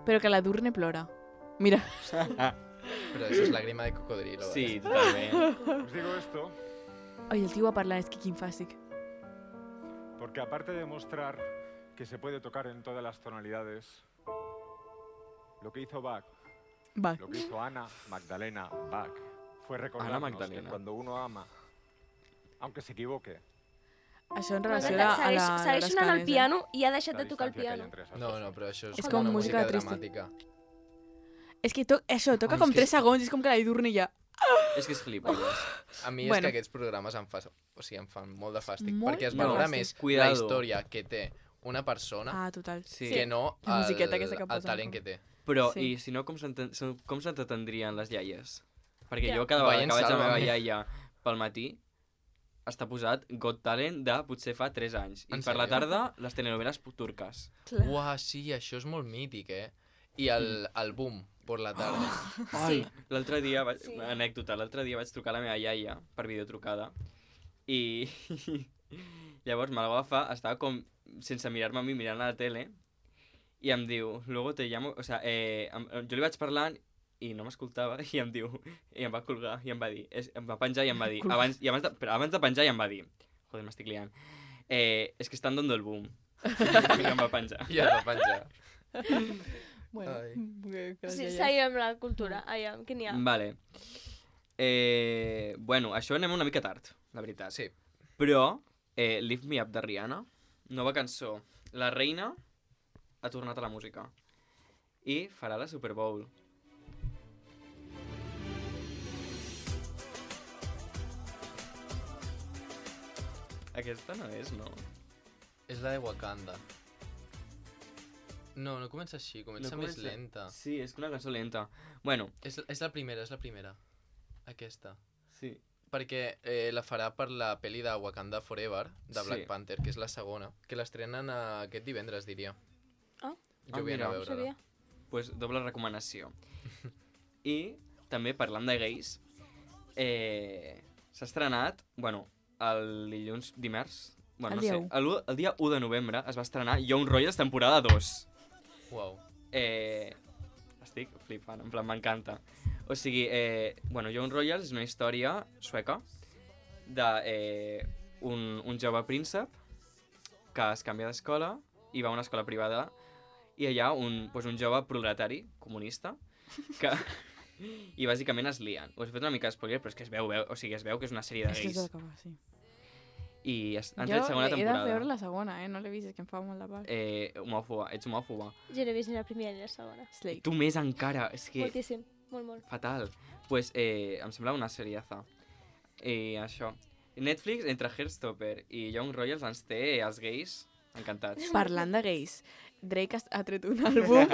però que la Durne plora. Mira. Però això és lágrima de cocodrilo. Sí, totalment. Os digo esto Ai, el tio va parlar, és que quin fàstic. porque aparte de mostrar que se puede tocar en todas las tonalidades, lo que hizo Bach, Va. lo que hizo Ana Magdalena Bach, fue recordarnos que Magdalena. cuando uno ama, aunque se equivoque, Això en M'encanta. relació a la... Segueix sonant el piano i ha deixat la de tocar el distancia que hay piano. entre esas No, cosas. no, però això és, És com com una música música trista. dramàtica. És que això, toca Ai, com és que 3 segons, és com que la Durne ja... És que és gilipolles. A mi és Bueno. que aquests programes em fan molt de fàstic, Molt perquè es de valora fàstic. més Cuidado. la història que té una persona Ah, total. Sí. que no La musiqueta aquesta que el posen, talent com. que té. Però, Sí. i si no, com s'entretendrien les iaies? Perquè Ja. jo cada vegada Veient que vaig a la meva Sálvame. iaia pel matí, està posat Got Talent de potser fa 3 anys. I En per la sèrio? tarda, les telenoveles turques. Uah, sí, això és molt mític, I el boom, per la tarda. Ai, l'altre dia, Sí. anècdota, l'altre dia vaig trucar a la meva iaia per videotrucada i llavors me la va agafar, estava com sense mirar-me a mi, mirant a la tele i em diu, luego te llamo, o sea, jo li vaig parlant i no m'escoltava i em diu, i em va colgar i em va dir, em va penjar i em va dir, abans de penjar i em va dir, joder, m'estic liant, és que estan dando el boom. I em va penjar. I es va penjar. Bueno, Ai. Sí, seguim amb la cultura. Aviam, què n'hi ha? Vale. Bueno, això anem una mica tard, la veritat. Sí. Però Lift Me Up de Rihanna, nova cançó. La reina ha tornat a la música. I farà la Super Bowl. Aquesta no és, no? És la de Wakanda. No, no comença així, comença més lenta. Sí, és una cançó lenta. Bueno, És la primera. Aquesta. sí. Perquè la farà per la pel·li de Wakanda Forever, de Black Sí. Panther, que és la segona, que l'estrenen aquest divendres, diria. Ah. Jo vull anar a mira. veure-la. Sabia. Pues doble recomanació. I també parlant de gais, s'ha estrenat, bueno, el dilluns, dimarts, bueno, El no dia sé, 1. el dia 1 de novembre es va estrenar Young Royals temporada 2. Uau. Estic flipant, en plan, m'encanta. O sigui, bueno, Young Royals és una història sueca de un jove príncep que es canvia d'escola i va a una escola privada i allà un jove proletari comunista que... I bàsicament es lien. Us he fet una mica de spoiler, però és que es veu que és una sèrie de És que és gais. d'acabar, sí. I han Jo tret segona he de temporada. veure la segona, no l'he vist, és que em fa molt de pal. Homòfoba, ets homòfoba. Jo no he vist ni la primera ni la segona. Slake. Tu més encara, és que... Moltíssim, molt. Fatal. Pues em sembla una seriaza. I això. Netflix, entre Heartstopper i Young Royals, ens té els gais encantats. Parlant de gais, Drake ha tret un àlbum...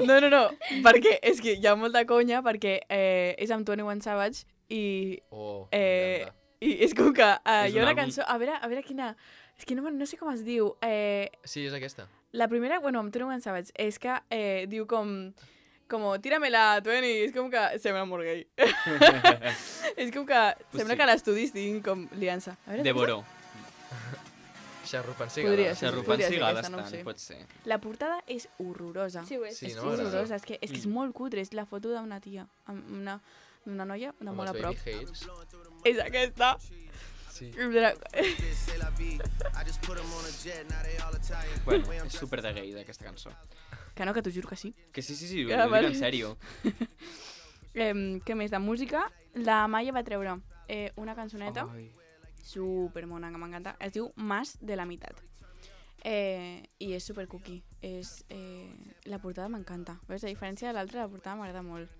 No, perquè és que hi ha molta conya, perquè és amb 21 Savage i... Oh, m'encanta. I és com que És hi ha un una àlbum- cançó... A veure quina... És que no sé com es diu. Sí, és aquesta. La primera, bueno, amb 21 Savage, és que diu com tíramela, 20, és com que sembla molt gay. És com que sembla sí. que l'estudi estiguin com liant-se. A veure, Devoró. Xarrupant Podria cigales. ser. Xarrupant podria ser cigales aquesta, no ho tant, sé. pot ser. la portada és horrorosa. Sí, ho és. Sí, És no que és m'agrada. horrorosa, és que és molt cutre, és la foto d'una tia, amb una noia de Amb molt a els prop. baby hairs. És aquesta. Sí. Bueno, és super de gay, aquesta cançó. Que no, que t'ho juro que sí. Que sí, ho Ah, dic vale. en sèrio. Què més de música? La Maia va treure una cançoneta Ai. supermona que m'encanta. Es diu Más de la Mitat. I és super cookie. La portada m'encanta. Veus, a diferència de l'altra, la portada m'agrada molt.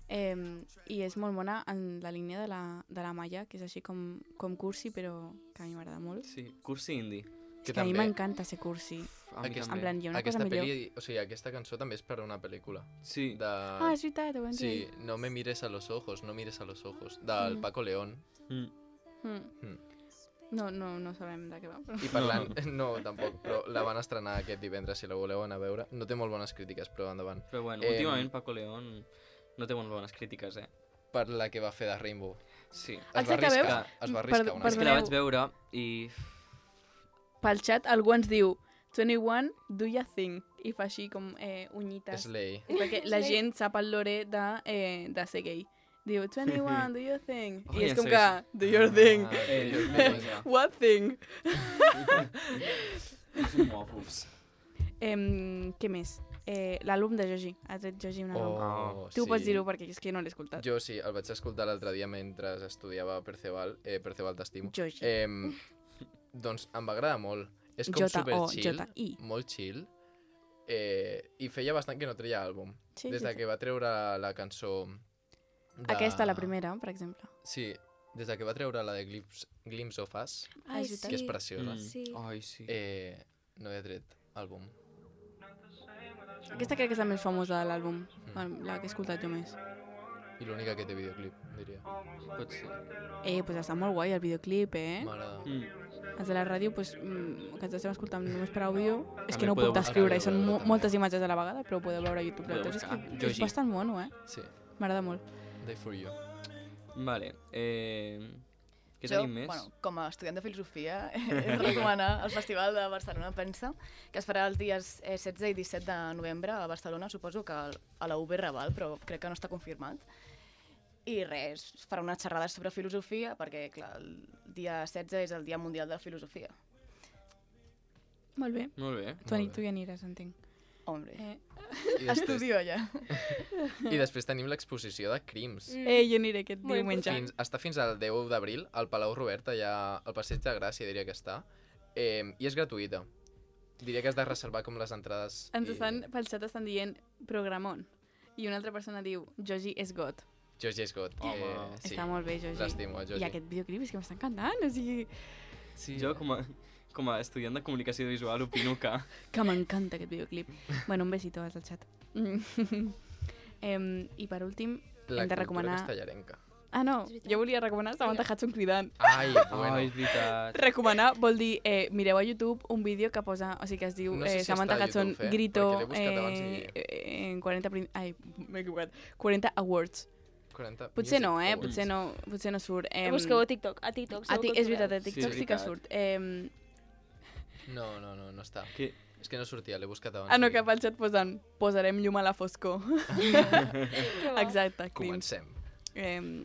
I és molt bona en la línia de la Maia, que és així com cursi, però que a mi m'agrada molt. Sí, cursi indie. Que Que a mi també m'encanta ser cursi. A mi Aquest- En també. plan, hi ha una cosa aquesta millor. peli, o sigui, aquesta cançó també és per a una pel·lícula. Sí. De... Ah, és veritat, ho vam dir. Sí, no me mires a los ojos, no mires a los ojos, del Paco León. Mm. No sabem de què va. Però... I parlant, no, tampoc, però la van estrenar aquest divendres, si la voleu anar a veure. No té molt bones crítiques, però endavant. Però bueno, últimament Paco León no té molt bones crítiques, Per la que va fer de Rainbow. Sí. Es va Exacte, arriscar, veus? es va arriscar Per- una per És mica. que la Perdoneu. vaig veure i... Pel xat algú ens diu 21, do ya thing? I fa així com unyites. Slay. És perquè la gent sap el lore de ser gay. Diu 21, do your thing? Oh, I és ja com sé, que, do your thing? Ah, What thing? Són homòfobs. Què més? L'àlbum de Joji. Ha tret Joji un àlbum. Oh, Tu sí. pots dir-ho perquè és que no l'he escoltat. Jo sí, el vaig escoltar l'altre dia mentre estudiava Perceval. Perceval t'estimo. Joji. Doncs em va agradar molt. És com super chill, J-O-J-I. molt chill. I feia bastant que no treia àlbum. Sí, Des sí, de sí. que va treure la cançó... Aquesta, la primera, per exemple. Sí, des de que va treure la de Glimpse of Us, Ai, és veritat. que és sí. preciosa, Sí. Ai, sí. no havia tret àlbum. Aquesta crec que és la més famosa de l'àlbum, la que he escoltat jo més. I l'única que té videoclip, diria. Pot ser. Pues està molt guai el videoclip, M'agrada. Els de la ràdio, que ens estem escoltant només per àudio, és que També no ho podeu puc descriure, buscar, i són podeu veure moltes imatges a la vegada, però ho podeu veure a YouTube. Podeu La veritat és buscar. que és Joji. bastant mono, Sí, M'agrada molt. Die for You. Vale. Què Jo, tenim més? bueno, com a estudiant de filosofia, he de recomanar el Festival de Barcelona Pensa, que es farà els dies 16 i 17 de novembre a Barcelona, suposo que a la UB Raval, però crec que no està confirmat. I res, es farà unes xerrades sobre filosofia, perquè, clar, el dia 16 és el Dia Mundial de la Filosofia. Molt bé. Molt bé. Tu hi aniràs, entenc. Hombre, I després, estudio allà. I després tenim l'exposició de crims. Jo aniré aquest Molt diumenge. Està fins al 10 d'abril al Palau Robert, allà al Passeig de Gràcia, diria que està. I és gratuïta. Diria que has de reservar com les entrades. Ens estan, pel xat estan dient programón. I una altra persona diu, Joji és got. Joji Scott. Home. Sí. Està molt bé, Joji. L'estimo, el Joji. I aquest videoclip és que m'està encantant, o sigui, Sí. Jo, com a estudiant de comunicació visual, opino que... m'encanta aquest videoclip. Bueno, un besito al xat. I per últim, La hem de cultura recomanar... castellarenca. Ah, no, És veritat. jo volia recomanar Samantha Hudson cridant. Ai, bueno. Ai, és veritat. Recomanar vol dir, mireu a YouTube un vídeo que posa, o sigui que es diu No sé si Samantha està a Hudson YouTube, grito perquè l'he buscat abans en 40... Ai, m'he equivocat. 40 awards. 40 Potser no, Music Awards. Potser no surt. Busqueu a TikTok. A TikTok. És veritat, a TikTok Sí, sí, que veritat. surt. No està. Que... És que no sortia, l'he buscat abans. Ah, no, que pel xat posen posarem llum a la foscor. Exacte, crims. Comencem.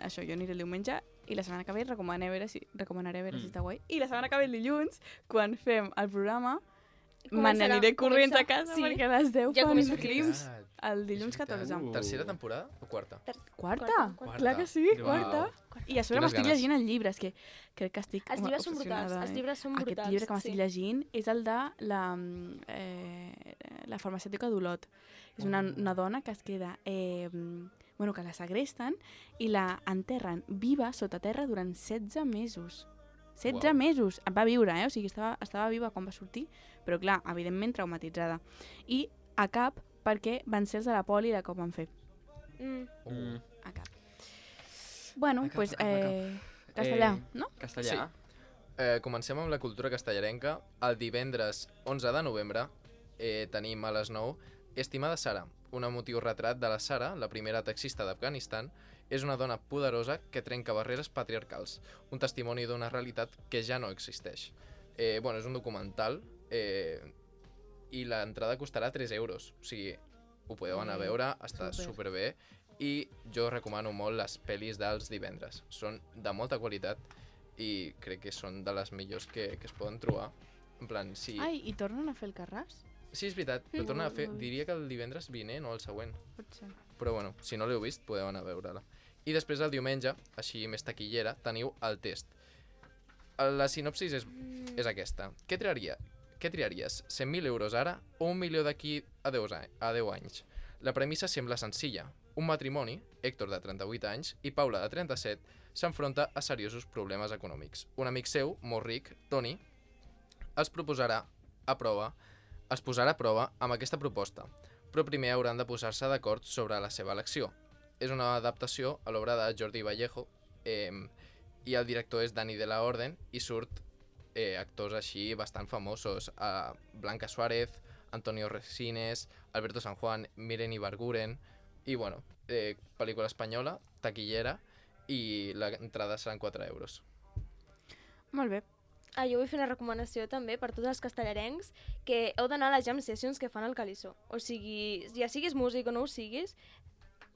Això, jo aniré el diumenge i la setmana que ve recomanaré a veure si està guai. I la setmana que ve, el dilluns, quan fem el programa, me n'aniré corrents a casa Sí. perquè a les 10 Ja fan comença els crims. Veritat. El dilluns És veritat. 14. Tercera temporada o quarta? Quarta? Quarta. Clar que sí, Uau. quarta. I a sobre Quines m'estic ganes. llegint el llibre, és que crec que estic Els llibres són brutals. obsessionada, Els llibres són brutals. Aquest llibre que m'estic sí. llegint és el de la farmacèutica d'Olot. És una dona que es queda... bueno, que la segresten i la enterren viva sota terra durant 16 mesos. 16 Uau. mesos! Va viure, o sigui, estava viva quan va sortir, però clar, evidentment traumatitzada. I a cap perquè van ser els de la poli la que ho van fer. A cap. Bueno, A cap, doncs, a cap. castellà, no? Castellà. Comencem amb la cultura castellarenca. El divendres 11 de novembre tenim a les 9 Estimada Sara, un emotiu retrat de la Sara, la primera taxista d'Afganistan. És una dona poderosa que trenca barreres patriarcals, un testimoni d'una realitat que ja no existeix. Bueno, és un documental i l'entrada costarà 3 euros. O sigui, ho podeu anar a veure, està superbé. I jo recomano molt les pel·lis dels divendres. Són de molta qualitat i crec que són de les millors que es poden trobar. En plan, sí... Ai, i tornen a fer el Carràs? Sí, és veritat, ho tornen a fer. Diria que el divendres vinent o el següent. Pot ser. Però bueno, si no l'heu vist, podeu anar a veure-la. I després el diumenge, així més taquillera, teniu el test. La sinopsis és aquesta. Què triaries? 100.000 euros ara o 1 milió d'aquí a 10 anys? La premissa sembla senzilla. Un matrimoni, Héctor de 38 anys i Paula de 37, s'enfronta a seriosos problemes econòmics. Un amic seu, molt ric, Toni, es posarà a prova amb aquesta proposta, però primer hauran de posar-se d'acord sobre la seva elecció. És una adaptació a l'obra de Jordi Vallejo i el director és Dani de la Orden i surt actors així bastant famosos, Blanca Suárez, Antonio Resines, Alberto San Juan, Miren Ibarguren i bueno, pel·lícula espanyola, taquillera i l'entrada seran 4 euros. Molt bé. Jo vull fer una recomanació també per tots els castellarencs que heu d'anar a les jam sessions que fan al Calissó. O sigui, ja siguis músic o no ho siguis,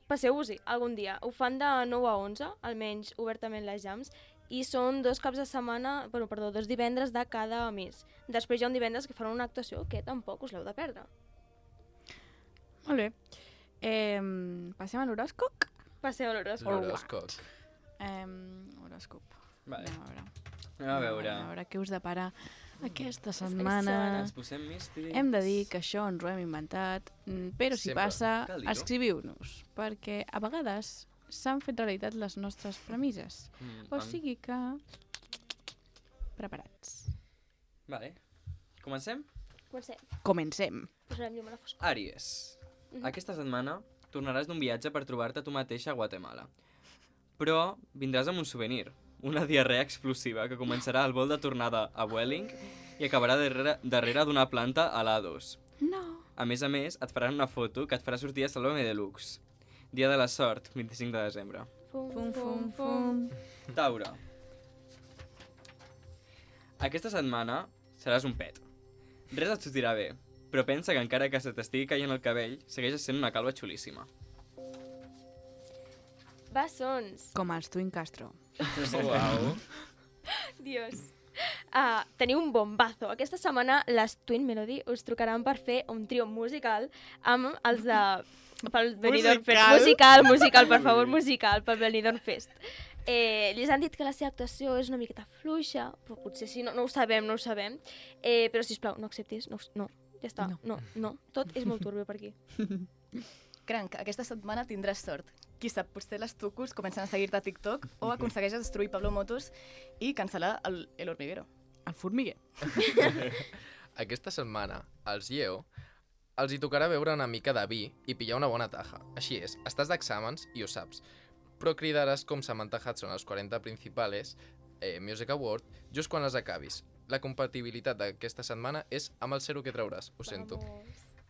passeu-vos-hi algun dia. Ho fan de 9 a 11, almenys obertament les jams, i són 2 caps de setmana, 2 divendres de cada mes. Després hi ha un divendres que fan una actuació que tampoc us l'heu de perdre. Molt bé. Passem a l'horòscop? Passeu a l'horòscop. L'horòscop. Horòscop. Vale. Anem a veure què us depara aquesta Ens setmana. posem místics. Hem de dir que això ens ho hem inventat, però si Sempre. passa, Cal dir-ho. escriviu-nos, perquè a vegades s'han fet realitat les nostres premisses. O sigui que... Preparats. Vale. Comencem? Comencem. Posarem llum a la foscor. Àries. Aquesta setmana tornaràs d'un viatge per trobar-te tu mateixa a Guatemala. Però vindràs amb un souvenir, una diarrea explosiva que començarà al vol de tornada a Vueling i acabarà darrere d'una planta a l'A2. No. A més, et faran una foto que et farà sortir a Salome Deluxe. Dia de la sort, 25 de desembre. Fum, fum, fum. Taure. Aquesta setmana seràs un pet. Res et sortirà bé, però pensa que encara que se t'estigui caient el cabell, segueixes sent una calva xulíssima. Bessons. Com els Twin Castro. Uau. Dios. Teniu un bombazo. Aquesta setmana les Twin Melody us trucaran per fer un trio musical amb els de... pel Benidorm Fest. Musical, per favor, musical, pel Benidorm Fest. Ells han dit que la seva actuació és una miqueta fluixa, però potser sí, no ho sabem. Però, sisplau, no acceptis, no, ja està, no. Tot és molt turbio per aquí. Cranc, aquesta setmana tindràs sort. Qui sap, potser les tucos comencen a seguir-te a TikTok o aconsegueixes destruir Pablo Motos i cancel·lar el hormiguero. El formiguer. Aquesta setmana, als Lleo, els hi tocarà beure una mica de vi i pillar una bona taja. Així és, estàs d'exàmens i ho saps. Però cridaràs com Samantha Hudson als 40 Principales Music Award just quan les acabis. La compatibilitat d'aquesta setmana és amb el 0 que trauràs, ho sento.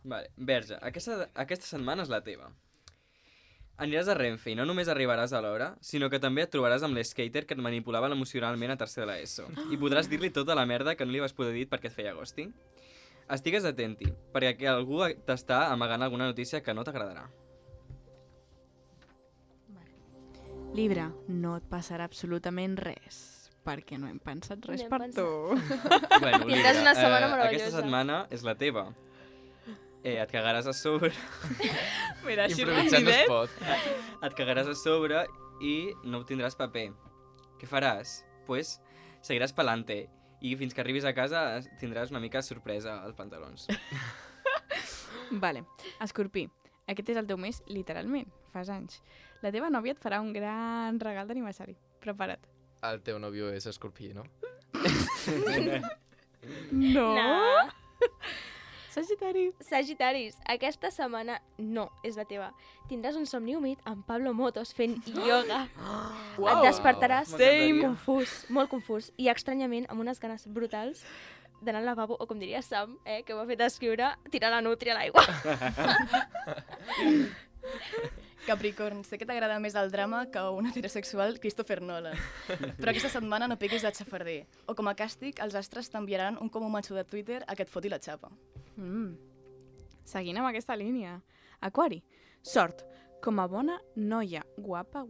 Vale. Verge, aquesta setmana és la teva. Aniràs a Renfe i no només arribaràs a l'hora, sinó que també et trobaràs amb l'escater que et manipulava emocionalment a tercer de l'ESO. I podràs dir-li tota la merda que no li vas poder dir perquè et feia ghosting. Estigues atenti, perquè algú t'està amagant alguna notícia que no t'agradarà. Libra, no et passarà absolutament res, perquè no hem pensat res No hem per pensat. tu. Bueno, Tindràs una setmana aquesta meravellosa. setmana és la teva. Et cagaràs a sobre, Mira, Improvisant no es pot. et cagaràs a sobre i no obtindràs paper. Què faràs? Pues seguiràs pelante i fins que arribis a casa tindràs una mica de sorpresa als pantalons. Vale, Escorpí, aquest és el teu mes, literalment, fas anys. La teva nòvia et farà un gran regal d'aniversari. Prepara't. El teu nòvio és escorpí, no? No. No. Sagitari. Sagitaris, aquesta setmana no és la teva. Tindràs un somni humit amb Pablo Motos fent ioga. Et despertaràs M'encantaria. confús, molt confús, i estranyament amb unes ganes brutals d'anar al lavabo, o com diria Sam, que m'ha fet escriure, tirar la nútria a l'aigua. Capricorn, sé que t'agrada més el drama que un heterosexual Christopher Nolan. Però aquesta setmana no piquis de xafarder. O com a càstig, els astres t'enviaran un com macho de Twitter a que et foti la xapa. Seguint amb aquesta línia. Aquari, sort. Com a bona noia guapa,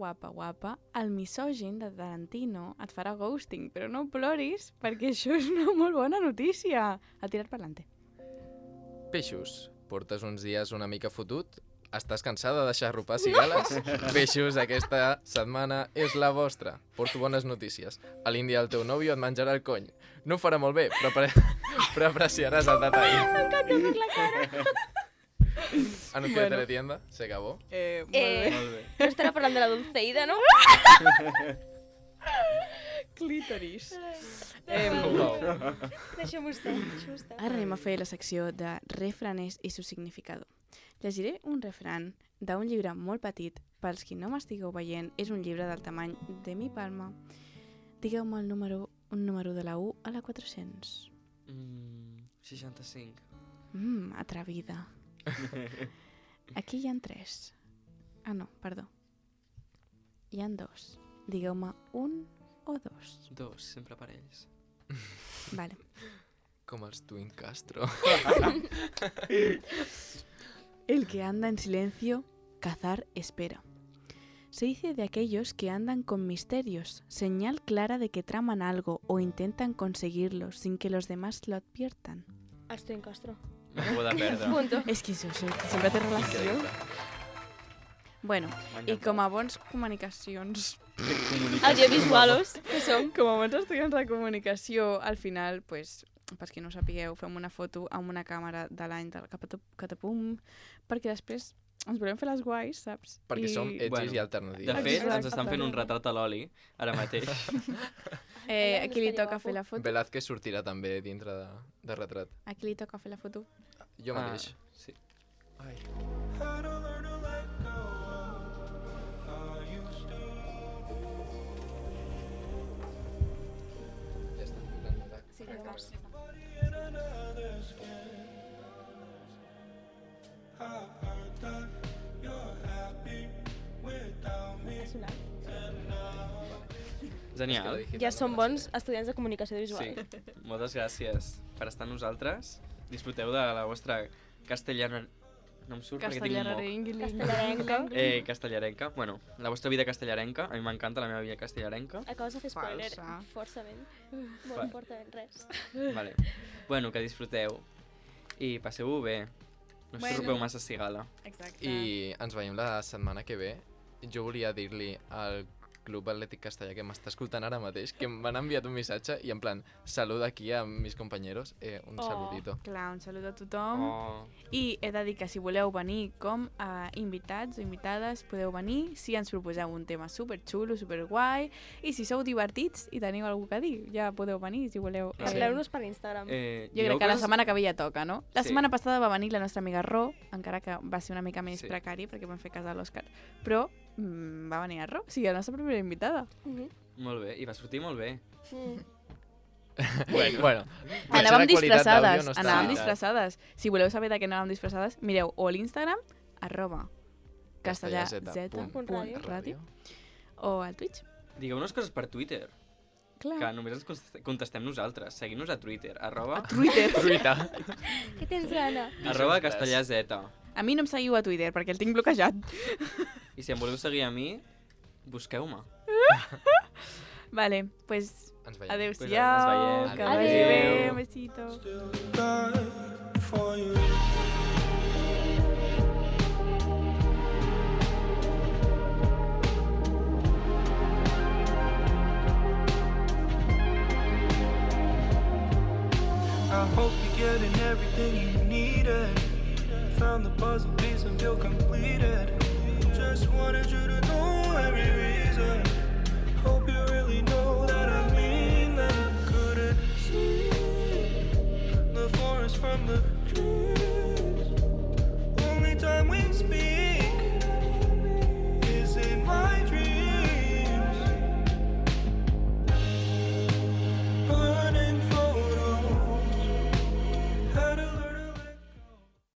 el misògin de Tarantino et farà ghosting, però no ploris, perquè això és una molt bona notícia. A tirar per l'ante. Peixos, portes uns dies una mica fotut? Estàs cansada de deixar arropar cigales? Peixos, aquesta setmana és la vostra. Porto bones notícies. A l'Índia el teu nòvio et menjarà el cony. No ho farà molt bé, però apreciaràs el detall. M'encanta per la cara. Anuncio de teletienda, se acabó. Molt bé. No estarà parlant de la Dulceida, no? clítoris. Deixa'm-ho estar. Ara anem a fer la secció de refraners i su significador. Llegiré un refran d'un llibre molt petit. Pels qui no m'estigueu veient, és un llibre del tamany de mi palma. Digueu-me un número de la 1 a la 400. 65. Atrevida. Aquí hi ha 3. Ah, no, perdó. Hi ha 2. Digueu-me 1 o 2. 2, sempre parells. Vale. Com els Twin Castro. El que anda en silencio, cazar espera. Se dice de aquellos que andan con misterios, señal clara de que traman algo o intentan conseguirlo sin que los demás lo adviertan. Els Twin Castro. M'acabo de perdre. Punto. És que això sempre té relació. Increïble. Bueno, M'ha i encantat. com a bons comunicacions, Audiovisualos, que som. com a bons estudiants de comunicació, al final, pues, pels qui no ho sapigueu, fem una foto amb una càmera de l'any del Catapum, perquè després ens volem fer les guais, saps? Perquè som edgis Bueno, i alternatius. De fet, Exacte. ens estan fent un retrat a l'oli, ara mateix. A qui li toca fer la foto? Velázquez sortirà també dintre de retrat. A qui li toca fer la foto? Jo mateix. Sí. Ai. Ja està. Sí, llavors. Ha sonat. Genial. Ja som bons estudiants de comunicació Sí. visual. Moltes gràcies per estar amb nosaltres. Disfruteu de la vostra castellana... No em surt perquè tinc un moc. Castellarenca. Castellarenca. Bueno, la vostra vida castellarenca. A mi m'encanta la meva vida castellarenca. Acabes de fer spoiler Falsa. forçament. Va. Molt fortament, res. Vale. Bueno, que disfruteu. I passeu-ho bé. No Bueno. xurrupeu massa cigala. Exacte. I ens veiem la setmana que ve. Jo volia dir-li al Club Atlètic Castellà que m'està escoltant ara mateix, que m'han enviat un missatge i en plan, saluda aquí a mis compañeros, un saludito. Clar, un salut a tothom. Oh. I he de dir que si voleu venir com a invitats o invitades, podeu venir si ens proposeu un tema superxulo, superguai, i si sou divertits i teniu alguna cosa a dir, ja podeu venir si voleu. Sí. Parleu-nos per Instagram. Jo crec que la setmana que ve ja toca, no? La Sí. setmana passada va venir la nostra amiga Ro, encara que va ser una mica més Sí. precari perquè vam fer cas a l'Òscar, però va venir a Ro, o sigui, la nostra primera invitada. Molt bé, i va sortir molt bé. Bueno, potser Anàvem la qualitat disfressades, d'àudio no està- anàvem disfressades. Si voleu saber de què anàvem disfressades, mireu o a l'Instagram, @castellaz.radio, o al Twitch. Digueu-nos coses per Twitter, Clar. que només ens contestem nosaltres. Seguim-nos a Twitter, Twitter. Truita. Què tens gana? @castellazeta. A mi no em seguiu a Twitter perquè el tinc bloquejat. I si em voleu seguir a mi, busqueu-me. Vale, pues Ens veiem. adeu-siau, Pues que ens vagi veiem. bé, un besito. for you. I hope you're getting everything you needed. Found the puzzle piece and feel completed. Just wanted you to know every reason. Hope you really know that I mean that. Couldn't see the forest from the trees.